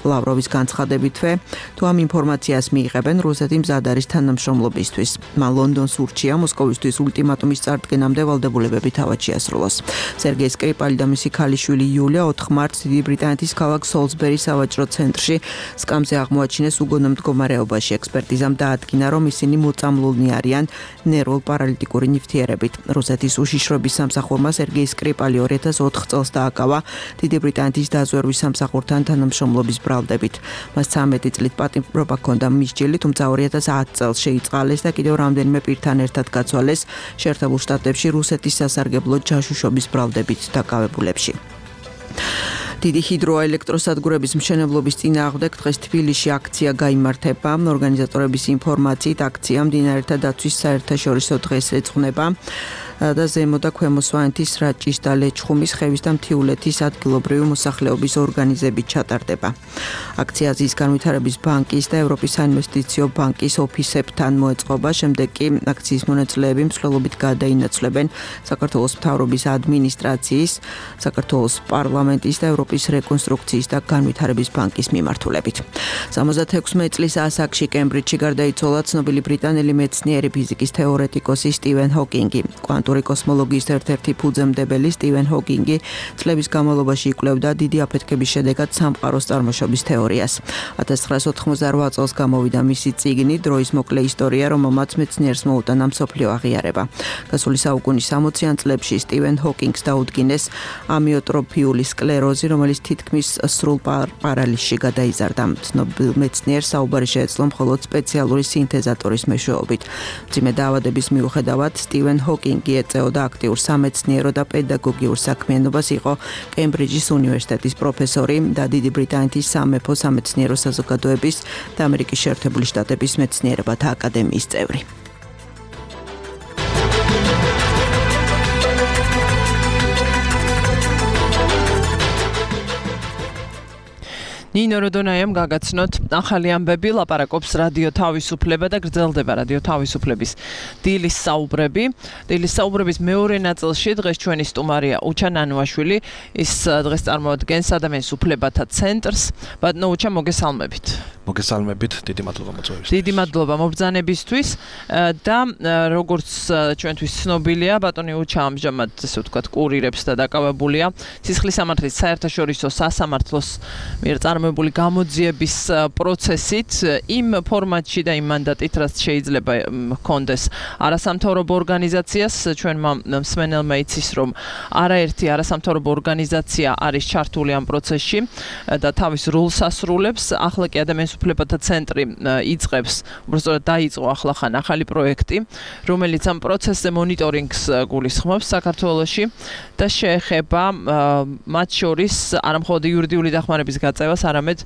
ლავროვის განცხადებითვე, თუ ამ ინფორმაციას მიიღებენ, რუსეთი მზად არის თანამშრომლობისთვის. მან ლონდონს ურჩია მოსკოვისთვის ულტიმატუმის წარდგენამდე ვალდებულებები თავად შეასრულოს. სერგეი სკრიპალი და მისი ქალიშვილი იულია 4 მარტს დიდი ბრიტანეთის ქალაქ სოლსბერის სავაჭრო ცენტრში სკამზე აღმოაჩინეს უგონო მდგომარეობაში. ექსპერტიზამ დაადგინა, რომ ისინი მოწამლულნი არიან ნერვულ-პარალიტიკური ნივთიერებით. რუსეთის უშიშროების სამსახურმა სერგეი სკრიპალი 2004 წელს დააკავა დიდი ბრიტანეთის დაზვერვის სამსახურთან თანამშრომლობის ბრალდებით. მას 13 წლით პატიმრობა ჰქონდა მისჯილი, თუმცა 2010 წელს შეიწყალეს და კიდევ რამდენიმე პირთან ერთად გაცვალეს შეერთებულ შტატებში რუსეთის სასარგებლო ჯაშუშობის ბრალდებით დაკავებულებში. დიდი ჰიდროელექტროსადგურების მშენებლობის წინააღმდეგ დღეს თბილისში აქცია გაიმართება. ორგანიზატორების ინფორმაციით აქცია მდინარეთა დაცვის საერთაშორისო დღეს ეძღვნება. და ზემო და ქვემო სვანეთის რაჭის და ლეჩხუმის ხევის და მთიულეთის ადგილობრივი მოსახლეობის ორგანიზებით ჩატარდება. აქცია აზიის განვითარების ბანკის და ევროპის საინვესტიციო ბანკის ოფისებთან მოეწყობა, შემდეგ კი აქციის მონაწილეები მსვლელობით გადაინაცვლებენ საქართველოს მთავრობის ადმინისტრაციის, საქართველოს პარლამენტის და ევროპის რეკონსტრუქციის და განვითარების ბანკის მიმართულებით. 76 წლის ასაკში კემბრიჯში გარდაიცვალა ცნობილი ბრიტანელი მეცნიერი ფიზიკის თეორეტიკოსი სტივენ ჰოკინგი. კვანტური კოსმოლოგიის ერთ-ერთი ფუძემდებელი სტივენ ჰოკინგი წლების განმავლობაში იკვლევდა დიდი აფეთქების შედეგად სამყაროს წარმოშობის თეორიას. 1988 წელს გამოვიდა მისი წიგნი დროის მოკლე ისტორია, რომელმაც მეცნიერს მოუტანა მსოფლიო აღიარება. გასული საუკუნის 60-იან წლებში სტივენ ჰოკინგს დაუდგინეს ამიოტროფიული სკლეროზი, რომელიც თითქმის სრულ პარალისში გადაიზარდა. ცნობილ მეცნიერს საუბარი შეეძლო მხოლოდ სპეციალური სინთეზატორის მეშვეობით. მძიმე დაავადების მიუხედავად სტივენ ჰოკინგი ეწეოდა აქტიურ სამეცნიერო და პედაგოგიურ საქმიანობას, იყო კემბრიჯის უნივერსიტეტის პროფესორი და დიდი ბრიტანეთის სამეფო სამეცნიერო საზოგადოების და ამერიკის შეერთებული შტატების მეცნიერებათა აკადემიის წევრი. ნინო როდონაიამ გაგაცნოთ ახალი ამბები, ლაპარაკობს რადიო თავისუფლება და გრძელდება რადიო თავისუფლების დილის საუბრები. დილის საუბრების მეორე ნაწილში დღეს ჩვენი სტუმარია უჩა ნანუაშვილი, ის დღეს წარმოადგენს ადამიანის უფლებათა ცენტრს. ბატონო უჩა, მოგესალმებით. მოგესალმებით, დიდი მადლობა მოწვევისთვის. დიდი მადლობა მობრძანებისთვის და როგორც ჩვენთვის ცნობილია, ბატონი უჩა ამჟამად ესე ვთქვათ კურირებს და დაკავებულია სისხლის სამართლის საერთაშორისო სასამართლოს მიერ წარმოებული გამოძიების პროცესით იმ ფორმატში და იმ მანდატით, რაც შეიძლება ჰქონდეს არასამთავრობო ორგანიზაციას. ჩვენმა მსმენელმა იცის, რომ არაერთი არასამთავრობო ორგანიზაცია არის ჩართული ამ პროცესში და თავის როლს ასრულებს. ახლა კი ადამიანის უფლებათა ცენტრი იწყებს, უბრალოდ დაიწყო ახლახან ახალი პროექტი, რომელიც ამ პროცესზე მონიტორინგს გულისხმობს საქართველოში და შეეხება მათ შორის არა მხოლოდ იურიდიული დახმარების გაწევას, არამედ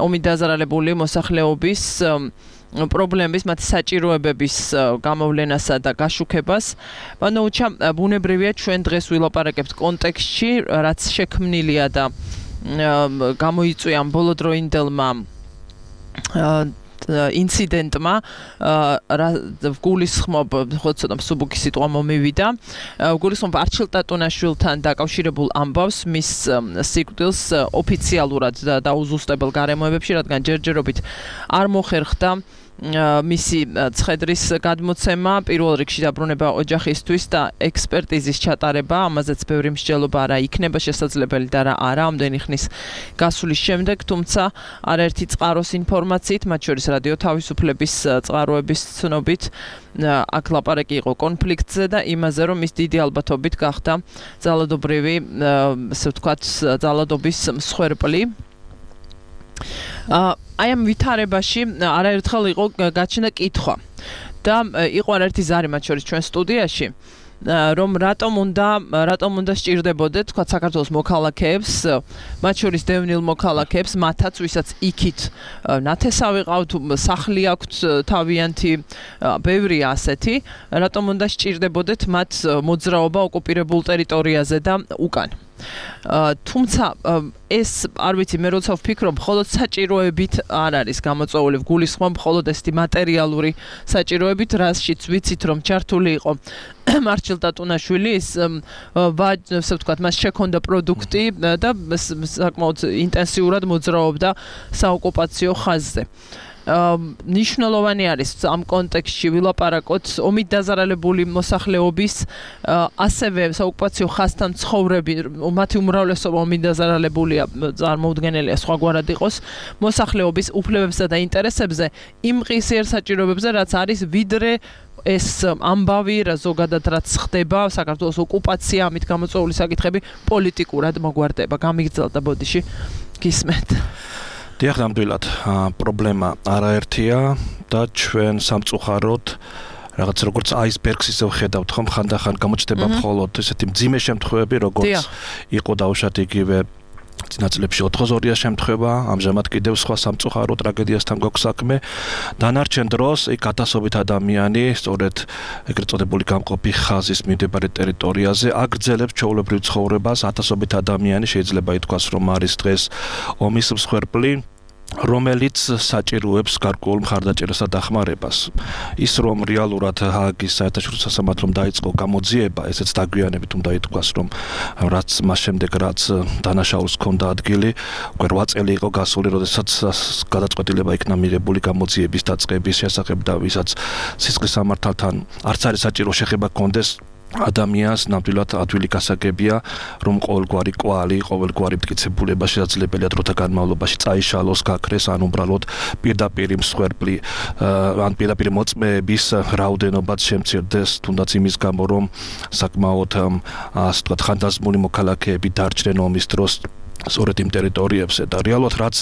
ომით დაზარალებული მოსახლეობის პრობლემების, მათი საჭიროებების გამოვლენასა და გაშუქებას. ბატონო უჩა, ბუნებრივია ჩვენ დღეს ვილაპარაკებთ კონტექსტში, რაც შექმნილია და გამოიწვია ბოლოდროინდელმა ინციდენტმა, გულისხმობ, ხო ცოტა მსუბუქი სიტყვა მომივიდა, გულისხმობ არჩილ ტატუნაშვილთან დაკავშირებულ ამბავს, მის სიკვდილს ოფიციალურად და დაუზუსტებელ გარემოებებში, რადგან ჯერჯერობით არ მოხერხდა მისი ცხედრის გადმოცემა, პირველ რიგში დაბრუნება ოჯახისთვის და ექსპერტიზის ჩატარება, ამაზეც ბევრი მსჯელობა რა იქნება შესაძლებელი და რა არა ამდენი ხნის გასulis შემდეგ, თუმცა არაერთი წყაროს ინფორმაციით, მათ შორის რადიო თავისუფლების წყაროების ცნობით, აქ ლაპარაკი იყო კონფლიქტზე და იმაზე, რომ ის დიდი ალბათობით გახდა ძალადობრივი, ასე ვთქვათ, ძალადობის მსხვერპლი. აი ამ ვითარებაში არაერთხელ იყო გაჩნდა კითხვა და იყო არაერთი ზარი მათ შორის ჩვენ სტუდიაში, რომ რატომ უნდა სჭირდებოდეთ თქვა საქართველოს მოქალაქეებს, მათ შორის დევნილ მოქალაქეებს, მათაც ვისაც იქით ნათესავი ყავთ, სახლი აქვთ თავიანთი, ბევრია ასეთი, რატომ უნდა სჭირდებოდეთ მათ მოძრაობა ოკუპირებულ ტერიტორიაზე და უკან. თუმცა ეს არ ვიცი, მე როცა ვფიქრობ, მხოლოდ საჭიროებით არ არის გამოწვეული, გულისხმობ მხოლოდ ესეთი მატერიალური საჭიროებით, რაშიც ვიცით, რომ ჩართული იყო მარჩილ ტატუნაშვილი, ასე ვთქვათ, მას შექონდა პროდუქტი და საკმაოდ ინტენსიურად მოძრაობდა საოკუპაციო ხაზზე. ნიშნულოვანი არის ამ კონტექსტში ვილაპარაკოთ ომით დაზარალებული მოსახლეობის, ასევე საოკუპაციო ხაზთან ცხოვრები, მათი უმრავლესობა ომით დაზარალებულია, წარმოუდგენელია სხვაგვარად იყოს, მოსახლეობის უფლებებსა და ინტერესებზე, იმ ღირსიერ საჭიროებებზე, რაც არის ვიდრე ეს ამბავი, რა ზოგადად რაც ხდება, საქართველოს ოკუპაცია, ამით გამოწვეული საკითხები პოლიტიკურად მოგვარდება. გამიგრძელდა ბოდიში, გისმენთ. დიახ, ნამდვილად, პრობლემა არაერთია და ჩვენ სამწუხაროდ რაღაც როგორც აისბერგს ისე ვხედავთ, ხომ ხანდახან გამოჩნდება მხოლოდ ესეთი მძიმე შემთხვევები, როგორც იყო დაუშვათ იგივე წინაწლებში 82-ია შემთხვევა, ამჟამად კიდევ სხვა სამწუხარო ტრაგედიასთან გვაქვს საქმე. დანარჩენ დროს იქ ათასობით ადამიანი, სწორედ ეგრეთ წოდებული გამყოფი ხაზის მიმდებარე ტერიტორიაზე აგრძელებს ჩვეულებრივ ცხოვრებას. ათასობით ადამიანი შეიძლება ითქვას, რომ არის დღეს ომის მსხვერპლი, რომელიც საჭიროებს გარკვეულ მხარდაჭერასა და დახმარებას. ის რომ რეალურად ჰააგის საერთაშორისო სასამართლომ დაიწყო გამოძიება, ესეც დაგვიანებით უნდა ითქვას, რომ რაც მას შემდეგ რაც დანაშაულს ჰქონდა ადგილი, უკვე 8 წელი იყო გასული, როდესაც გადაწყვეტილება იქნა მიღებული გამოძიების დაწყების შესახებ და ვისაც სისხლის სამართალთან არც არის საჭირო შეხება ჰქონდეს ადამიანს ნამდვილად ადვილი გასაგებია, რომ ყოველგვარი კვალი, ყოველგვარი მტკიცებულება შესაძლებელია დროთა განმავლობაში წაიშალოს, გაქრეს, ან უბრალოდ პირდაპირ მსხვერპლი, ან პირდაპირ მოწმეების რაოდენობაც შემცირდეს, თუნდაც იმის გამო, რომ საკმაოდ ასე ვთქვათ, ხანდაზმული მოქალაქეები დარჩნენ ომის დროს სწორედ იმ ტერიტორიებზე და რეალურად რაც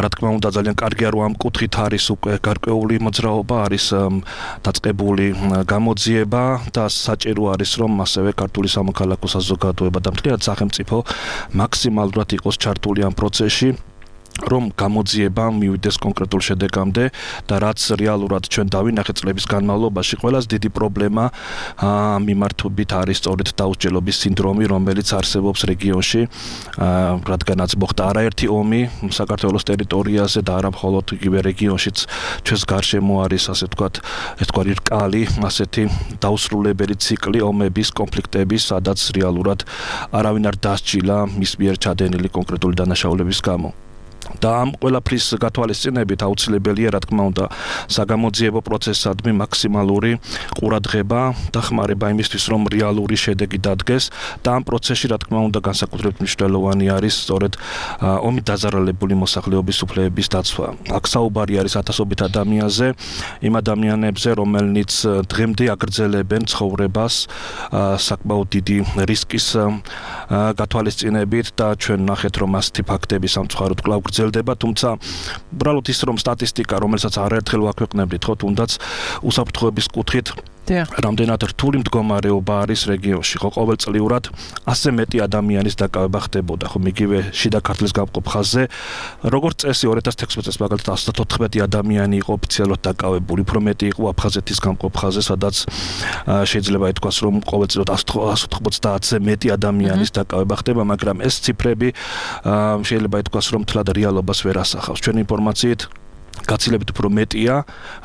რა თქმა უნდა ძალიან კარგია რომ ამ კუთხით არის უკვე გარკვეული მოძრაობა, არის დაწყებული გამოძიება და საჭირო არის რომ ასევე ქართული სამოქალაქო საზოგადოება და მთლიანად სახელმწიფო მაქსიმალურად იყოს ჩართული ამ პროცესში, რომ გამოძიება მივიდეს კონკრეტულ შედეგამდე და რაც რეალურად ჩვენ დავინახეთ წლების განმავლობაში, ყველაზე დიდი პრობლემა მიმართებით არის სწორედ დაუსჯელობის სინდრომი, რომელიც არსებობს რეგიონში, რადგანაც მოხდა არაერთი ომი საქართველოს ტერიტორიაზე და არა მხოლოდ იგივე რეგიონშიც, ჩვენს გარშემო არის ასე ვთქვათ, ერთგვარი რკალი, ასეთი დაუსრულებელი ციკლი ომების, კონფლიქტების, სადაც რეალურად არავინ არ დასჯილა მის მიერ ჩადენილი კონკრეტული დანაშაულების გამო. და ამ ყველაფრის გათვალისწინებით აუცილებელია, რა თქმა უნდა, საგამოძიებო პროცესადმი მაქსიმალური ყურადღება, დახმარება იმისთვის, რომ რეალური შედეგი დადგეს და ამ პროცესში, რა თქმა უნდა, განსაკუთრებით მნიშვნელოვანი არის სწორედ ომით დაზარალებული მოსახლეობის უფლებების დაცვა. აქ საუბარი არის ათასობით ადამიანზე, იმ ადამიანებზე, რომელნიც დღემდე აგრძელებენ ცხოვრებას საკმაოდ დიდი რისკის გათვალისწინებით და ჩვენ ნახეთ, რომ ასეთი ფაქტები სამწუხაროდ კვლავ გრძელდება, თუმცა უბრალოდ ის რომ სტატისტიკა, რომელსაც არაერთხელ ვაქვეყნებდით, ხო, თუნდაც უსაფრთხოების კუთხით რამდენად რთული მდგომარეობა არის რეგიონში, ხო, ყოველწლიურად ასე მეტი ადამიანის დაკავება ხდებოდა, ხო, იგივე შიდა ქართლის გამყოფ ხაზზე, როგორც წესი 2016 წელს მაგალითად 114 ადამიანი იყო ოფიციალურად დაკავებული, უფრო მეტი იყო აფხაზეთის გამყოფ ხაზზე, სადაც შეიძლება ითქვას, რომ ყოველწლიურად 190-ზე მეტი ადამიანის დაკავება ხდება, მაგრამ ეს ციფრები შეიძლება ითქვას, რომ თლად რეალობას ვერ ასახავს. ჩვენი ინფორმაციით გაცილებით უფრო მეტია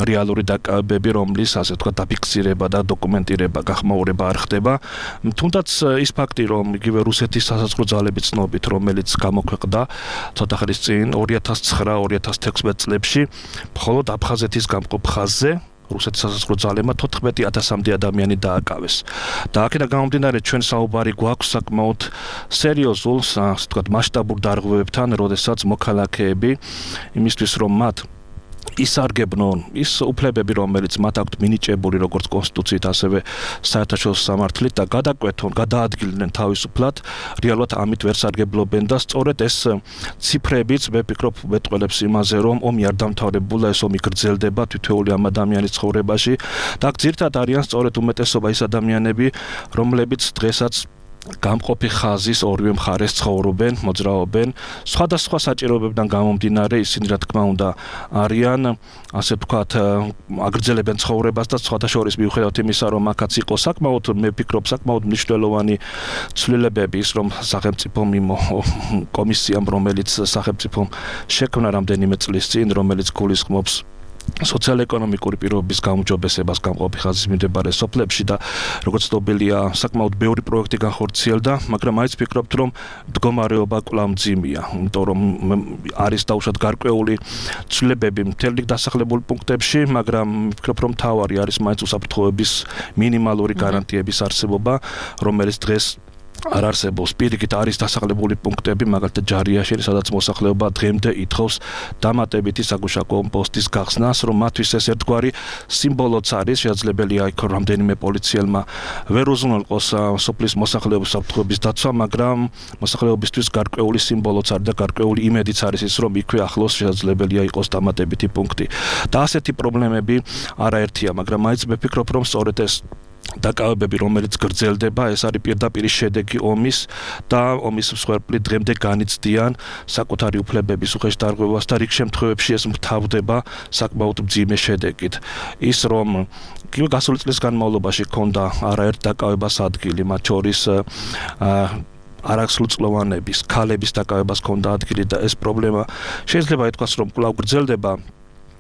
რეალური დაკავებები, რომლის ასე ვთქვათ დაფიქსირება და დოკუმენტირება, გახმაურება არ ხდება. თუნდაც ის ფაქტი, რომ იგივე რუსეთის სასაზღვრო ძალების ცნობით, რომელიც გამოქვეყნდა ცოტა ხნის წინ 2009-2016 წლებში, მხოლოდ აფხაზეთის გამყოფ ხაზზე რუსეთის სასაზღვრო ძალებმა 14,000-მდე ადამიანი დააკავეს. და აქედან გამომდინარე ჩვენ საუბარი გვაქვს საკმაოდ სერიოზულ, ასე ვთქვათ, მასშტაბურ დარღვევებთან, როდესაც მოქალაქეები იმისთვის რომ მათ ისარგებლონ ის უფლებები, რომელიც მათ აქვთ მინიჭებული როგორც კონსტიტუციით, ასევე საერთაშორისო სამართლით და გადაკვეთონ, გადაადგილდნენ თავისუფლად, რეალურად ამით ვერ სარგებლობენ და სწორედ ეს ციფრებიც მე ვფიქრობ მეტყველებს იმაზე, რომ ომი არ დამთავრებულა, ეს ომი გრძელდება თითოეული ამ ადამიანის ცხოვრებაში და აქ ძირითადად არიან სწორედ უმეტესობა ის ადამიანები, რომლებიც დღესაც გამყოფი ხაზის ორივე მხარეს ცხოვრობენ, მოძრაობენ, სხვადასხვა საჭიროებებიდან გამომდინარე, ისინი რა თქმა უნდა არიან, ასე ვთქვათ, აგრძელებენ ცხოვრებას და სხვათა შორის მიუხედავად იმისა, რომ აქაც იყო საკმაოდ, მე ვფიქრობ, საკმაოდ მნიშვნელოვანი ცვლილებები ის, რომ სახელმწიფომ კომისიამ, რომელიც სახელმწიფომ შექმნა რამდენიმე წლის წინ, რომელიც გულისხმობს სოციალ-ეკონომიკური პირობების გაუმჯობესებას გამყოფი ხაზის მიმდებარე სოფლებში და როგორც ცნობილია, საკმაოდ ბევრი პროექტი განხორციელდა, მაგრამ მაინც ვფიქრობთ, რომ მდგომარეობა კვლავ მძიმეა, იმიტომ რომ არის დაუშვათ გარკვეული ცვლილებები მთელ რიგ დასახლებულ პუნქტებში, მაგრამ ვფიქრობ, რომ მთავარი არის მაინც უსაფრთხოების მინიმალური გარანტიების არსებობა, რომელიც დღეს არ არსებობს. პირიქით არის დასახლებული პუნქტები, მაგალითად ჯარიაში, სადაც მოსახლეობა დღემდე ითხოვს დამატებითი საგუშაგო პოსტის გახსნას, რომ მათთვის ეს ერთგვარი სიმბოლოც არის, შესაძლებელია იქ რამდენიმე პოლიციელმა ვერ უზრუნველყოს სოფლის მოსახლეობის საფრთხეების დაცვა, მაგრამ მოსახლეობისთვის გარკვეული სიმბოლოც არის და გარკვეული იმედიც არის ის, რომ იქვე ახლოს შესაძლებელია იყოს დამატებითი პუნქტი. და ასეთი პრობლემები არაერთია, მაგრამ მაინც მე ვფიქრობ, რომ სწორედ ეს დაკავებები, რომელიც გრძელდება, ეს არის პირდაპირ შედეგი ომის და ომის მსხვერპლი დღემდე განიცდიან საკუთარი უფლებების უხეშდარღვევას და რიგ შემთხვევებში ეს მთავრდება საკმაოდ მძიმე შედეგით. ის რომ გასული წლის განმავლობაში ქონდა არაერთ დაკავებას ადგილი, მათ შორის არასრულწლოვანების, ქალების დაკავებას ქონდა ადგილი და ეს პრობლემა შეიძლება ითქვას, რომ კვლავ გრძელდება.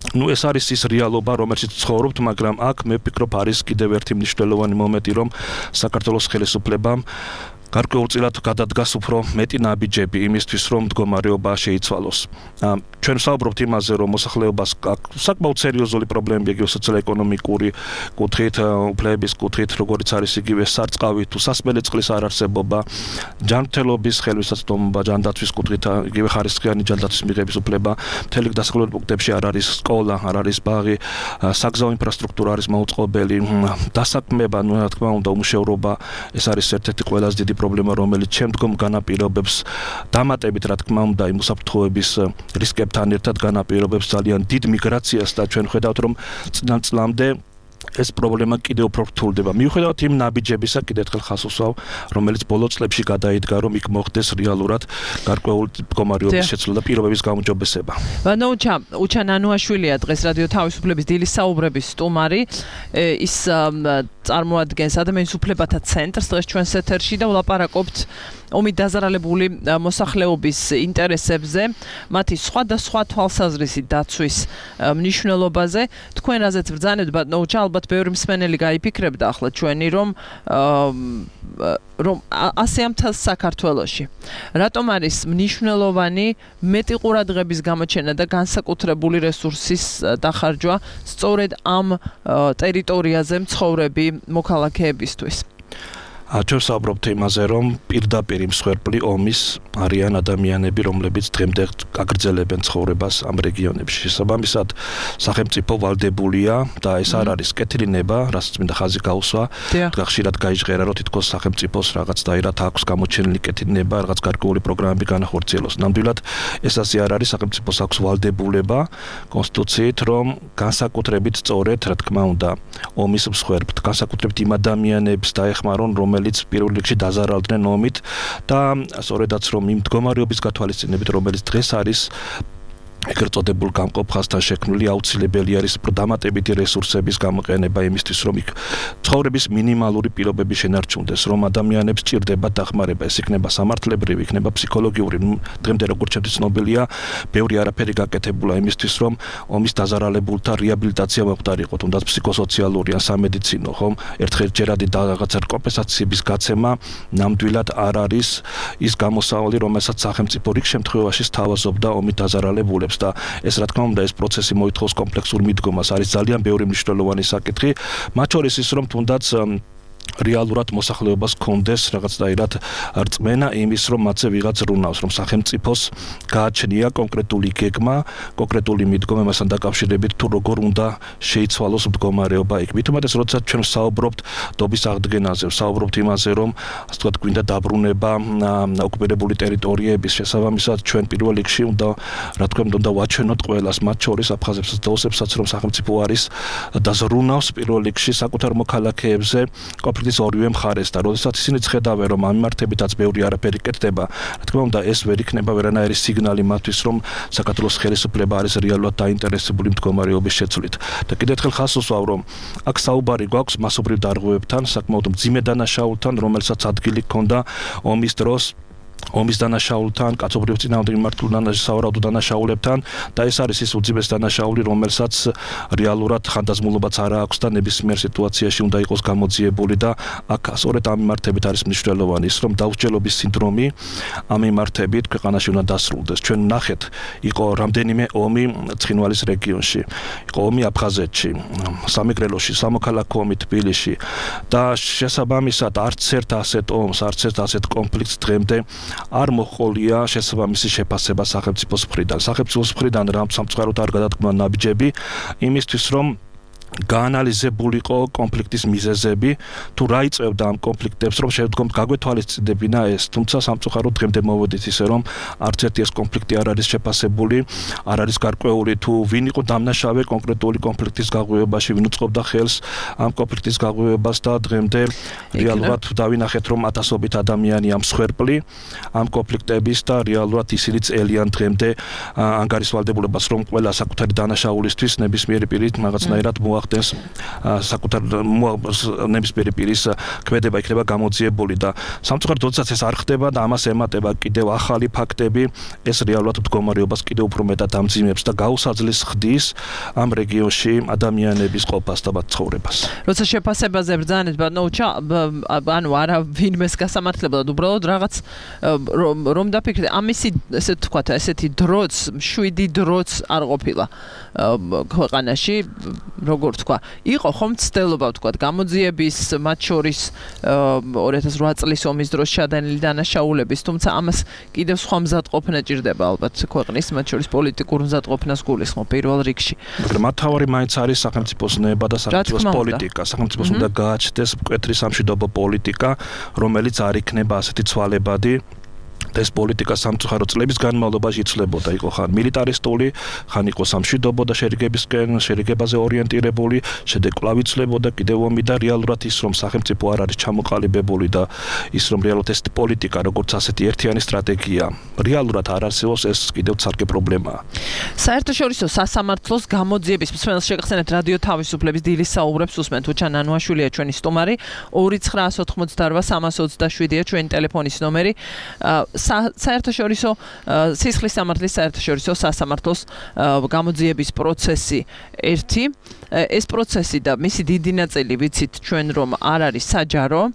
ეს არის ის რეალობა, რომელშიც ცხოვრობთ, მაგრამ აქ მე ვფიქრობ, არის კიდევ ერთი მნიშვნელოვანი მომენტი, რომ საქართველოს ხელისუფლებამ გარკვეულწილად გადადგას უფრო მეტი ნაბიჯები იმისთვის, რომ მდგომარეობა შეიცვალოს. ჩვენ ვსაუბრობთ იმაზე, რომ მოსახლეობას საკმაოდ სერიოზული პრობლემები იგივე სოციალურ-ეკონომიკური კუთხით, უფლებების კუთხით, როგორც არის იგივე სარწყავი თუ სასმელი წყლის არარსებობა, ჯანმრთელობის ხელმისაწვდომობა, ჯანდაცვის კუთხით, იგივე ხარისხიანი ჯანდაცვის მიღების უფლება, მთელი დასახლებულ პუნქტებში არ არის სკოლა, არ არის ბაღი, საგზაო ინფრასტრუქტურა არის მოუწყობელი, დასაქმება, რა თქმა უნდა, უმუშევრობა, ეს არის ერთ-ერთი ყველაზე დიდი პრობლემა, რომელიც შემდგომ განაპირობებს დამატებით, რა თქმა უნდა, იმ უსაფრთხოების რისკებთან ერთად განაპირობებს ძალიან დიდ მიგრაციას და ჩვენ ხედავთ, რომ წლამდე ეს პრობლემა კიდევ უფრო რთულდება. მიუხედავად იმ ნაბიჯებისა, კიდევ ერთხელ ხაზს უსვავ, რომელიც ბოლო წლებში გადაიდგა, რომ იქ მოხდეს რეალურად გარკვეული მდგომარეობის შეცვლა და პირობების გაუმჯობესება. უჩა ნანუაშვილია დღეს რადიო თავისუფლების დილის საუბრების სტუმარი, ის წარმოადგენს ადამიანის უფლებათა ცენტრს დღეს ჩვენს ეთერში და ვლაპარაკობთ ომით დაზარალებული მოსახლეობის ინტერესებზე, მათი სხვადასხვა თვალსაზრისით დაცვის მნიშვნელობაზე. თქვენ რაზეც ბრძანებთ, ბატონო უჩა, ალბათ ბევრი მსმენელი გაიფიქრებდა ახლა ჩვენი, რომ ასე ამთას საქართველოში. რატომ არის მნიშვნელოვანი მეტი ყურადღების გამოჩენა და განსაკუთრებული რესურსის დახარჯვა სწორედ ამ ტერიტორიაზე მცხოვრები მოქალაქეებისთვის? ჩვენ ვსაუბრობთ იმაზე, რომ პირდაპირ მსხვერპლი ომის არიან ადამიანები, რომლებიც დღემდე აგრძელებენ ცხოვრებას ამ რეგიონებში. შესაბამისად, სახელმწიფო ვალდებულია და ეს არ არის კეთილი ნება, რასაც მინდა ხაზი გაუსვა. ხშირად გაიჟღერა, რომ თითქოს სახელმწიფოს რაღაც დაირად აქვს გამოჩენილი კეთილი ნება, რაღაც გარკვეული პროგრამები განახორციელოს. ნამდვილად ეს ასე არ არის, სახელმწიფოს აქვს ვალდებულება კონსტიტუციით, რომ განსაკუთრებით სწორედ, რა თქმა უნდა, ომის მსხვერპლთ, განსაკუთრებით იმ ადამიანებს დაეხმარონ, რომელიც პირველ რიგში დაზარალდნენ ომით და სწორედაც რომ იმ მდგომარეობის გათვალისწინებით, რომელიც დღეს არის ეგრეთ წოდებულ გამყოფ ხაზთან შექმნილი, აუცილებელი არის დამატებითი რესურსების გამოყენება იმისთვის, რომ იქ ცხოვრების მინიმალური პირობები შენარჩუნდეს, რომ ადამიანებს სჭირდება დახმარება, ეს იქნება სამართლებრივი, იქნება ფსიქოლოგიური. დღემდე როგორც ჩემთვის ცნობილია, ბევრი არაფერი გაკეთებულა იმისთვის, რომ ომის დაზარალებულთა რეაბილიტაცია მოხდარიყო, თუნდაც ფსიქოსოციალური ან სამედიცინო, ხომ? ერთჯერადი რაღაცა კომპენსაციების გაცემა ნამდვილად არ არის ის გამოსავალი, რომელსაც სახელმწიფო რიგ შემთხვევაში სთავაზობდა ომით დაზარალებულებს. და ეს რა თქმა უნდა ეს პროცესი მოითხოვს კომპლექსურ მიდგომას, არის ძალიან ბევრი მნიშვნელოვანი საკითხი, მათ შორის ის რომ თუნდაც რეალურად მოსახლეობას კონდეს რაღაც დაირად რწმენა იმის, რომ მათზე ვიღაც რუნავს, რომ სახელმწიფოს გააჩნია კონკრეტული გეგმა, კონკრეტული მიდგომა მასთან დაკავშირებით, თუ როგორ უნდა შეიცვალოს მდგომარეობა იქ. მით უმეტეს, როდესაც ჩვენ ვსაუბრობთ დობის აღდგენაზე, ვსაუბრობთ იმაზე, რომ ასე ვთქვათ, გვინდა დაბრუნება ოკუპირებული ტერიტორიების, შესაბამისად ჩვენ პირველ რიგში უნდა, რა თქმა უნდა, ვაჩვენოთ ყველას, მათ შორის აფხაზებსაც და ოსებსაც, რომ სახელმწიფო არის და ზრუნავს პირველ რიგში საკუთარ მოქალაქეებზე კონფლიქტის ორივე მხარეს და როდესაც ისინი ხედავენ, რომ ამ მიმართებითაც ბევრი არაფერი კეთდება, რა თქმა უნდა, ეს ვერ იქნება ვერანაირი სიგნალი მათთვის, რომ საქართველოს ხელისუფლება არის რეალურად დაინტერესებული მდგომარეობის შეცვლით. და კიდევ ერთხელ ხაზს უსვავ, რომ აქ საუბარი გვაქვს მასობრივ დარღვევებთან, საკმაოდ მძიმე დანაშაულთან, რომელსაც ადგილი ჰქონდა ომის დროს ომის დანაშაულთან, კაცობრიობის წინააღმდეგ მიმართულ სავარაუდო დანაშაულებთან და ეს არის ის უძიმეს დანაშაული, რომელსაც რეალურად ხანდაზმულობაც არ აქვს და ნებისმიერ სიტუაციაში უნდა იყოს გამოძიებული და აქ სწორედ ამ მიმართებით არის მნიშვნელოვანი ის, რომ დაუსჯელობის სინდრომი ამ მიმართებით ქვეყანაში უნდა დასრულდეს. ჩვენ ვნახეთ, იყო რამდენიმე ომი ცხინვალის რეგიონში, იყო ომი აფხაზეთში, სამეგრელოში, სამოქალაქო ომი თბილისში და შესაბამისად არც ერთ ასეთ ომს, არც ერთ ასეთ კონფლიქტს დღემდე არ მოყოლია შესაბამისი შეფასება სახელმწიფოს მხრიდან. სახელმწიფოს მხრიდან რა სამწუხაროდ არ გადადგმა ნაბიჯები იმისთვის, რომ გაანალიზებულიყო კონფლიქტის მიზეზები, თუ რა იწევდა ამ კონფლიქტებს, რომ შემდგომ გაგვეთვალისწინებინა ეს, თუმცა სამწუხაროდ დღემდე მოვედით ისე, რომ არც ერთი ეს კონფლიქტი არ არის შეფასებული, არ არის გარკვეული, თუ ვინ იყო დამნაშავე კონკრეტული კონფლიქტის გაღვივებაში, ვინ უწყობდა ხელს ამ კონფლიქტის გაღვივებას და დღემდე რეალურად დავინახეთ, რომ ათასობით ადამიანია მსხვერპლი ამ კონფლიქტების და რეალურად ისინი წელიან დღემდე ანგარიშვალდებულებას, რომ ყველა საკუთარი დანაშაულისთვის ნებისმიერი პირით რაღაცნაირად მოახდენს საკუთარ ნებისმიერი პირის ქმედება იქნება გამოძიებული და სამწუხაროდ როდესაც ეს არ ხდება და ამას ემატება კიდევ ახალი ფაქტები, ეს რეალურად მდგომარეობას კიდევ უფრო მეტად ამძიმებს და გაუსაძლეს ხდის ამ რეგიონში ადამიანების ყოფას და მათ ცხოვრებას. როცა შეფასებაზე ბრძანეთ, ბატონო, ანუ არა ვინმეს გასამართლებად, უბრალოდ რაღაც რომ დაფიქრდე, ამისი ესე თქვათ, ესეთი დროც, მშვიდი დროც არ ყოფილა ქვეყანაში, როგორ თქვა, იყო ხომ ცდელობა თქვათ გამოძიების, მათ შორის 2008 წლის ომის დროს შადენილი დანაშაულების, თუმცა ამას კიდევ სხვა მზადყოფნა ჭირდება ალბათ ქვეყნის, მათ შორის პოლიტიკურ მზადყოფნას გულისხმობ პირველ რიგში. მაგრამ მთავარი მაინც არის სახელმწიფოს ნება და სახელმწიფოს პოლიტიკა. სახელმწიფოს უნდა გააჩნდეს მკვეთრი სამშვიდობო პოლიტიკა, რომელიც არ იქნება ასეთი ცვალებადი. ეს პოლიტიკა სამწუხაროდ წლების განმავლობაში იცვლებოდა, იყო ხან მილიტარისტული, ხან იყო სამშვიდობო და შერიგებაზე ორიენტირებული, შედეგ კვლავ იცვლებოდა კიდევ ომი და რეალურად ის რომ სახელმწიფო არ არის ჩამოყალიბებული და ის რომ რეალურად ეს პოლიტიკა როგორც ასეთი ერთიანი სტრატეგია რეალურად არ არსებობს, ეს კიდევ ცალკე პრობლემაა. საერთაშორისო სასამართლოს გამოძიების მსმენელს შეგახსენებთ რადიო თავისუფლების დილის საუბრებს უსმენთ. უჩან ანუაშვილია ჩვენი სტუმარი, 2988-327-ია ჩვენი ტელეფონის ნომერი. საერთაშორისო სისხლის სამართლის საერთაშორისო სასამართლოს გამოძიების პროცესი ერთი. ეს პროცესი და მისი დიდი ნაწილი ვიცით ჩვენ რომ არ არის საჯარო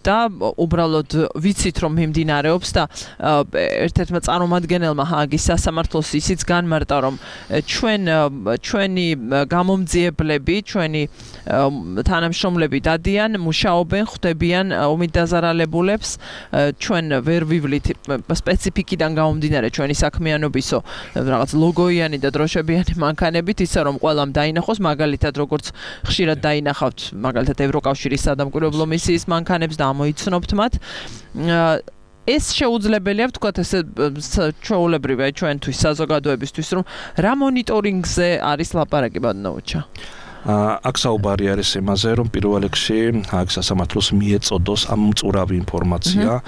და უბრალოდ ვიცით რომ მიმდინარეობს და ერთ-ერთმა წარმომადგენელმა ჰააგის სასამართლოს ისიც განმარტა რომ ჩვენი გამომძიებლები, ჩვენი თანამშრომლები დადიან, მუშაობენ, ხვდებიან ომით დაზარალებულებს, ჩვენ ვერ ვივლით სპეციფიკიდან გამომდინარე ჩვენი საქმიანობისო რაღაც ლოგოიანი და დროშებიანი მანქანებით, ისე რომ ყველამ დაინახოს, მაგალითად როგორც ხშირად დაინახავთ მაგალითად ევროკავშირის სადამკვირვებლო მისიის მანქანებს და ამოიცნობთ მათ. ეს შეუძლებელია ვთქვათ ესე ჩვეულებრივია ჩვენთვის საზოგადოებისთვის რომ რა მონიტორინგზე არის ლაპარაკი ბატონოუჩა. აქ საუბარი არის იმაზე, რომ პირველ რიგში აქ სასამართლოს მიეწოდოს ამ მწურავი ინფორმაცია